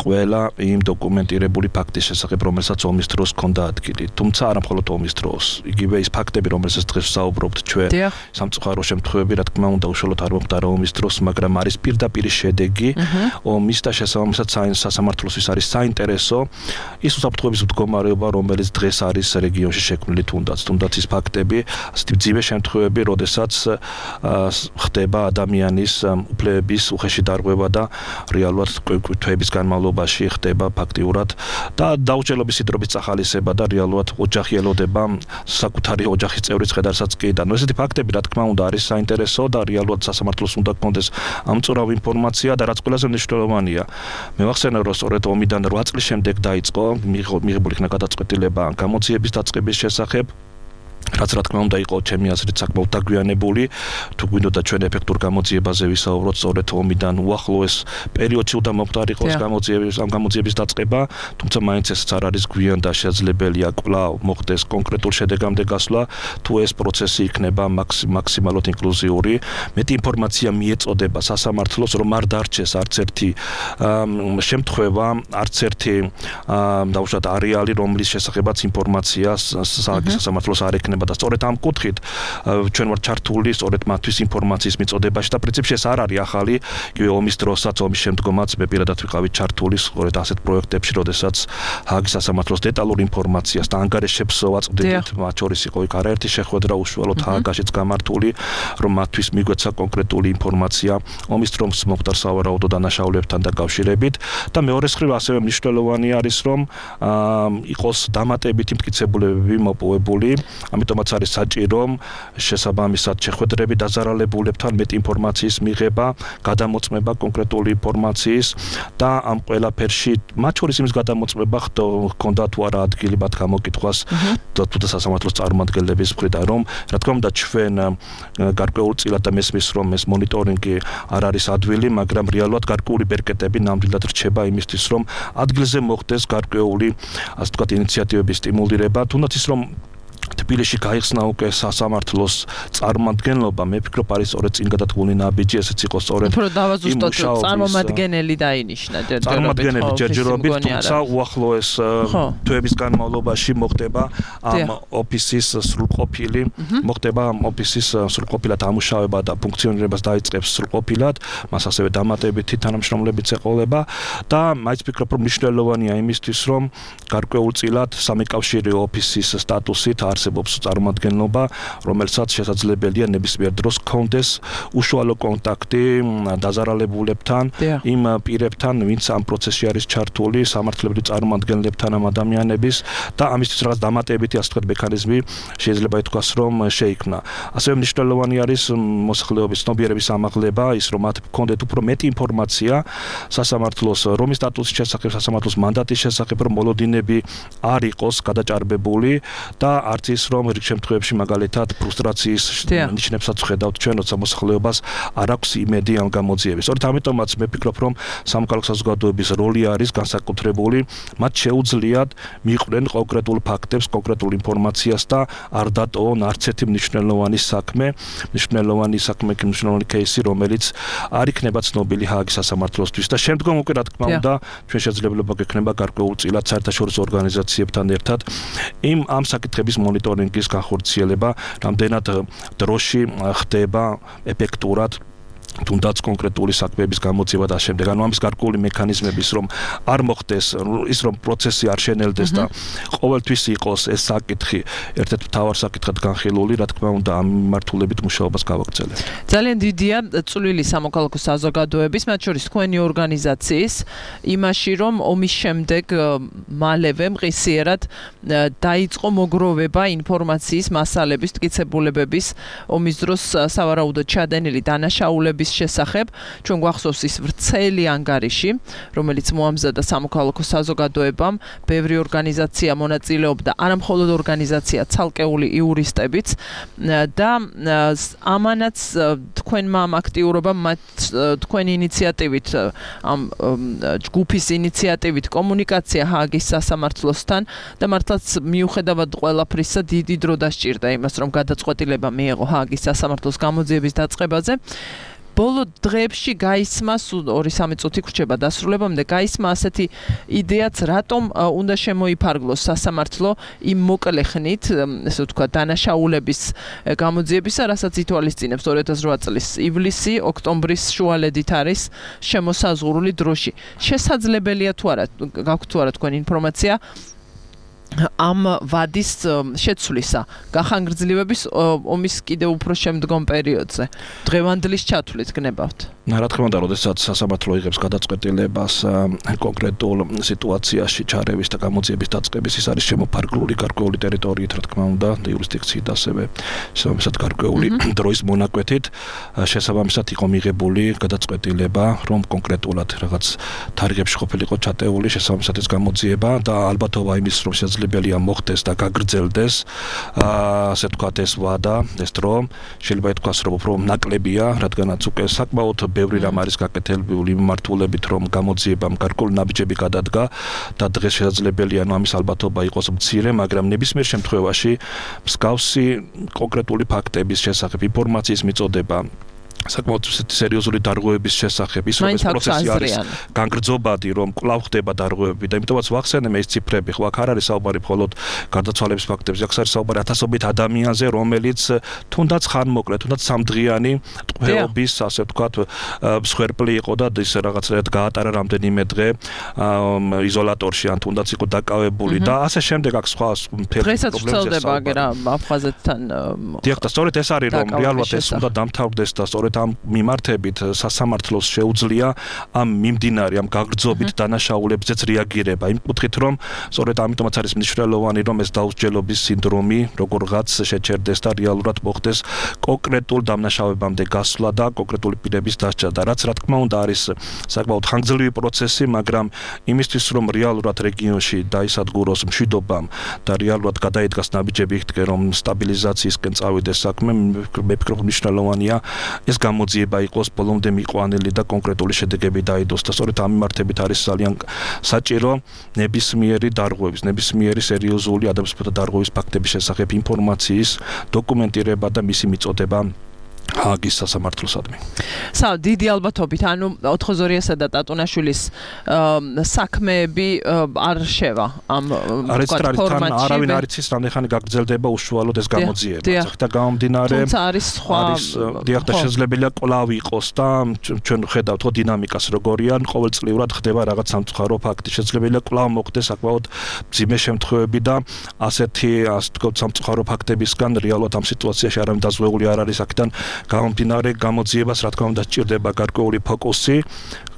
ყველა იმ დოკუმენტირებული ფაქტის შესახებ, რომელსაც ომის დროს ჰქონდა ადგილი. თუმცა არა მხოლოდ ომის დროს, იგივე ის ფაქტები, რომელსაც დღეს ვსაუბრობთ ჩვენ, სამწუხარო შემთხვევები, რა თქმა უნდა, უშუალოდ არ მომხდარა ომის დროს, მაგრამ არის პირდაპირ შედეგი ომის და შესაბამისად სასამართლოსთვის არის საინტერესო ის უსაფრთხოების მდგომარეობა, რომელიც დღეს არის რეგიონში შექმნილი თუნდაც ის ფაქტები, ასეთი მძიმე შემთხვევები, როდესაც ხდება ადამიანის უფლებების უხეში დარღვევა და რეალურად თვეების განმავლობაში ხდება ფაქტიურად და დაუჭერლობის სიდრობის წახალისება და რეალურად ოჯახი ელოდება საკუთარი ოჯახის წევრის ხედარსაც კი და ესეთი ფაქტები რა თქმა უნდა არის საინტერესო და რეალურად სასამართლოს უნდა გქონდეს ამწურავი ინფორმაცია და რაც ყველაზე მნიშვნელოვანია მე ვახსენე რომ სწორედ ომიდან 8 წლის შემდეგ დაიწყო მიღებული იქნა გადაწყვეტილება გამოძიების დაწყების შესახებ რაც რა თქმა უნდა იყო ჩემი აზრით საკმაოდ დაგვიანებული თუ გვინდოდა ჩვენ ეფექტურ გამოძიებაზე ვისაუბროთ სწორედ ომიდან უახლოეს პერიოდში უნდა მომხდარიყო გამოძიების დაწყება თუმცა მაინც ეს არ არის გვიან და შესაძლებელია კვლავ მოხდეს კონკრეტულ შედეგამდე გასვლა თუ ეს პროცესი იქნება მაქსიმალურად ინკლუზიური მეტი ინფორმაცია მიეწოდება სასამართლოს რომ არ დარჩეს არც ერთი შემთხვევა არც ერთი დაუშვათ არეალი რომლის შესახებაც ინფორმაცია სასამართლოს არ ექნება და სწორედ ამ კუთხით ჩვენ ვართ ჩართული სწორედ მათთვის ინფორმაციის მიწოდებაში და პრინციპში ეს არ არის ახალი იგივე ომის დროსაც ომის შემდგომაც მე პირადად ვიყავი ჩართული სწორედ ასეთ პროექტებში როდესაც ჰააგის სასამართლოს დეტალური ინფორმაციას და ანგარიშებს ვაწვდით მათ შორის იყო იქ არაერთი შეხვედრა უშუალოდ ჰააგაშიც გამართული რომ მათთვის მიგვეცა კონკრეტული ინფორმაცია ომის დროს მომხდარ სავარაუდო დანაშაულებთან დაკავშირებით და მეორე მხრივ ასევე მნიშვნელოვანი არის რომ იყოს დამატებითი მტკიცებულებები მოპოვებული ამიტომ ამიტომაც არის საჭირო შესაბამისად შეხვედრები დაზარალებულებთან მეტ ინფორმაციის მიღება, გადამოწმება კონკრეტული ინფორმაციის და ამ ყველაფერში მათ შორის იმის გადამოწმება ხონდა თუ არა ადგილი მათ გამოკითხვას თუ და სასამართლოს წარმომადგენლების მხრიდან რომ რა თქმა უნდა ჩვენ გარკვეულწილად და მესმის რომ ეს მონიტორინგი არ არის ადვილი, მაგრამ რეალურად გარკვეული ბერკეტები ნამდვილად რჩება იმისთვის რომ ადგილზე მოხდეს გარკვეული ასე ვთქვათ ინიციატივების სტიმულირება, თუნდაც ის რომ თბილისში გაიხსნა უკვე სასამართლოს წარმომადგენლობა, მე ვფიქრობ არის სწორედ წინ გადადგმული ნაბიჯი, ესეც იყო სწორედ უფრო დავაზუსტოთ წარმომადგენელი დაინიშნა ჯერჯერობით, თუმცა უახლოეს თვეების განმავლობაში მოხდება ამ ოფისის სრულყოფილი, მოხდება ამ ოფისის სრულყოფილად ამუშავება და ფუნქციონირებას დაიწყებს სრულყოფილად, მას ასევე დამატებითი თანამშრომლებიც ეყოლება და მაინც ვფიქრობ რომ მნიშვნელოვანია იმისთვის რომ გარკვეულწილად სამეკავშირეო ოფისის სტატუსით არსებობს წარმომადგენლობა, რომელსაც შესაძლებელია ნებისმიერ დროს ჰქონდეს უშუალო კონტაქტი დაზარალებულებთან, იმ პირებთან, ვინც ამ პროცესში არის ჩართული, სამართლებრივ წარმომადგენლებთან ამ ადამიანების და ამისთვის რაღაც დამატებითი ასე ვთქვათ მექანიზმი შეიძლება ითქვას რომ შეიქმნა. ასევე მნიშვნელოვანი არის მოსახლეობის ცნობიერების ამაღლება, ის რომ მათ ჰქონდეთ უფრო მეტი ინფორმაცია სასამართლოს რომის სტატუსის შესახებ, სასამართლოს მანდატის შესახებ, რომ მოლოდინები არ იყოს გადაჭარბებული და არც ის რომ რიგ შემთხვევებში მაგალითად ფრუსტრაციის ნიშნებსაც ვხედავთ ჩვენ, როცა მოსახლეობას არ აქვს იმედი ამ გამოძიების. სწორედ ამიტომაც მე ვფიქრობ რომ სამოქალაქო საზოგადოების როლი არის განსაკუთრებული, მათ შეუძლიათ მიიყვნენ კონკრეტულ ფაქტებს, კონკრეტულ ინფორმაციას და არ დატოვონ არც ერთი მნიშვნელოვანი მნიშვნელოვანი кейსი, რომელიც არ იქნება ცნობილი ჰააგის სასამართლოსთვის და შემდგომ უკვე რა თქმა უნდა ჩვენ შესაძლებლობა გექნება გარკვეულწილად საერთაშორისო ორგანიზაციებთან ერთად ამ საკითხების მონიტორინგის განხორციელება, რამდენად დროში ხდება ეფექტურად თუნდაც კონკრეტული საქმეების გამოძიება და შემდეგ. ანუ ამის გარკვეული მექანიზმების რომ არ მოხდეს ის რომ პროცესი არ შენელდეს და ყოველთვის იყოს ეს საკითხი ერთ-ერთ მთავარ საკითხად განხილული, რა თქმა უნდა ამ მიმართულებით მუშაობას გავაგრძელებთ. ძალიან დიდია წვლილი სამოქალაქო საზოგადოების, მათ შორის თქვენი ორგანიზაციის იმაში, რომ ომის შემდეგ მალევე მყისიერად დაიწყო მოგროვება ინფორმაციის მასალების, მტკიცებულებების ომის დროს სავარაუდოდ ჩადენილი დანაშაულების შესახებ. ჩვენ გვახსოვს ის ვრცელი ანგარიში, რომელიც მოამზადა სამოქალაქო საზოგადოებამ, ბევრი ორგანიზაცია მონაწილეობდა, არამხოლოდ ორგანიზაცია, ცალკეული იურისტებიც და ამანაც თქვენმა ამ აქტიურობამ, თქვენი ინიციატივით, ამ ჯგუფის ინიციატივით კომუნიკაცია ჰააგის სასამართლოსთან და მართლაც მიუხედავად ყველაფრისა დიდი დრო დასჭირდა იმას, რომ გადაწყვეტილება მიეღო ჰააგის სასამართლოს გამოძიების დაწყებაზე. ბოლო დღეებში გაისმა 2-3 წუთი გრჩება დასრულებამდე გაისმა ასეთი იდეაც, რატომ უნდა შემოიფარგლოს სასამართლო იმ მოკლე ხნით, ესე ვთქვათ, დანაშაულების გამოძიებისა, რასაც ითვალისწინებს 2008 წლის ივლისი, ოქტომბრის შუალედით არის შემოსაზღვრული დროში. შესაძლებელია თუ არა, გაქვთ თუ არა თქვენ ინფორმაცია ამ ვადის შეცვლისა, გახანგრძლივების ომის კიდევ უფრო შემდგომ პერიოდზე, დღევანდლის ჩათვლით გნებავთ? რა თქმა უნდა, როდესაც სასამართლო იღებს გადაწყვეტილებას კონკრეტულ სიტუაციაში ჩარევის და გამოძიების დაწყების, ის არის შემოფარგლული გარკვეული ტერიტორიით, რა თქმა უნდა, იურისდიქციით ასევე შესაბამისად გარკვეული დროის მონაკვეთით, შესაბამისად იყო მიღებული გადაწყვეტილება, რომ კონკრეტულად რაღაც თარიღებში ყოფილიყო ჩატეული შესაბამისად ეს გამოძიება და ალბათობა იმის, რომ შესაძლებელია მოხდეს და გაგრძელდეს, ასე ვთქვათ, ეს ვადა, ეს დრო, შეიძლება ითქვას, რომ უფრო ნაკლებია, რადგანაც უკვე საკმაოდ ბევრი რამ არის გაკეთებული მიმართულებით, რომ გამოძიებამ გარკვეული ნაბიჯები გადადგა და დღეს შესაძლებელია ამის ალბათობა იყოს მცირე, მაგრამ ნებისმიერ შემთხვევაში მსგავსი კონკრეტული ფაქტების შესახებ ინფორმაციის მიწოდება საკმაოდ სერიოზული დარღვევების შესახებ, ის რომ ეს პროცესი არის განგრძობადი, რომ კვლავ ხდება დარღვევები და იმიტომაც ვახსენებ ეს ციფრები, ხო აქ არ არის საუბარი მხოლოდ გარდაცვალების ფაქტებზე, აქ არის საუბარი ათასობით ადამიანზე, რომელიც თუნდაც ხანმოკლე, თუნდაც სამდღიანი ტყვეობის, ასე ვთქვათ, მსხვერპლი იყო და ის რაღაცნაირად გაატარა რამდენიმე დღე იზოლატორში, ან თუნდაც იყო დაკავებული და ასე შემდეგ აქ სხვა დღესაც ვრცელდება აგერა აფხაზეთთან. დიახ, და სწორედ ეს არის, რომ რეალურად ეს უნდა დამთავრდეს და სწორედ სწორედ ამ მიმართებით სასამართლოს შეუძლია ამ მიმდინარე ამ გაგრძობით დანაშაულებზეც რეაგირება იმ კუთხით რომ სწორედ ამიტომაც არის მნიშვნელოვანი რომ ეს დაუსჯელობის სინდრომი როგორღაც შეჩერდეს და რეალურად მოხდეს კონკრეტულ დამნაშავებამდე გასვლა და კონკრეტული პირების დასჯა და რაც რა თქმა უნდა არის საკმაოდ ხანგრძლივი პროცესი მაგრამ იმისთვის რომ რეალურად რეგიონში დაისადგუროს მშვიდობამ და რეალურად გადაიდგას ნაბიჯები იქთკენ რომ სტაბილიზაციისკენ წავიდეს საქმე მე ვფიქრობ მნიშვნელოვანია ეს გამოძიება იყოს ბოლომდე მიყვანილი და კონკრეტული შედეგები დაიდოს და სწორედ ამ მიმართებით არის ძალიან საჭირო ნებისმიერი დარღვევის ნებისმიერი სერიოზული ადამიანთა დარღვევის ფაქტების შესახებ ინფორმაციის დოკუმენტირება და მისი მიწოდება ჰააგის სასამართლოსადმი. დიდი ალბათობით, ანუ 4-2-3-სა და ტატუნაშვილის საქმეები არ შევა ამ ფორმატში. არავინ არ იცის, რამდენიხანი გაგრძელდება უშუალოდ ეს გამოძიება. და გამომდინარე თუმცა არის სხვა დიახ და შესაძლებელია კვლავ იყოს და ჩვენ ხედავთ ხო დინამიკას როგორია, ყოველწლიურად ხდება რაღაც სამწუხარო ფაქტი. შესაძლებელია კვლავ მოხდეს საკმაოდ მძიმე შემთხვევები და ასეთი ასე ვთქვათ სამწუხარო ფაქტებისგან რეალურად ამ სიტუაციაში არავინ დაზღვეული არ არის აქედან გამომდინარე გამოძიებას რა თქმა უნდა სჭირდება გარკვეული ფოკუსი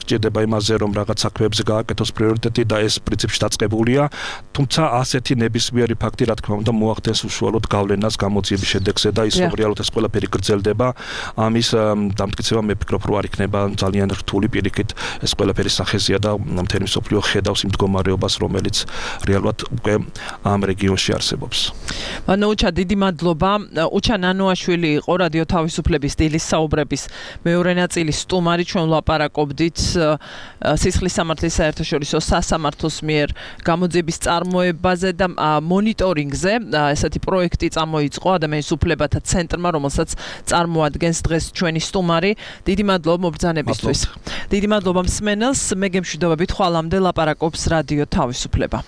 სჭირდება იმაზე რომ რაღაც საქმეებზე გააკეთოს პრიორიტეტი და ეს პრინციპში დაწყებულია თუმცა ასეთი ნებისმიერი ფაქტი რა თქმა უნდა მოახდენს უშუალოდ გავლენას გამოძიების შედეგზე და ის რომ რეალურად ეს ყველაფერი გრძელდება ამის დამტკიცება მე ვფიქრობ რომ არ იქნება ძალიან რთული პირიქით ეს ყველაფერი სახეზია და მთელი მსოფლიო ხედავს იმ მდგომარეობას რომელიც რეალურად უკვე ამ რეგიონში არსებობს. Ucha დიდი მადლობა. Ucha ნანოაშვილი იყო რადიო თავისუფლების სტილის საუბრების მეორე ნაწილის სტუმარი ჩვენ ვლაპარაკობდით სისხლის სამართლის საერთაშორისო სასამართლოს მიერ გამოძიების წარმოებაზე და მონიტორინგზე ესეთი პროექტი წამოიწყო ადამიანის უფლებათა ცენტრმა რომელსაც წარმოადგენს დღეს ჩვენი სტუმარი. დიდი მადლობა მობრძანებისთვის. დიდი მადლობა მსმენელს. მე გემშვიდობებით ხვალამდე ლაპარაკობს რადიო თავისუფლება.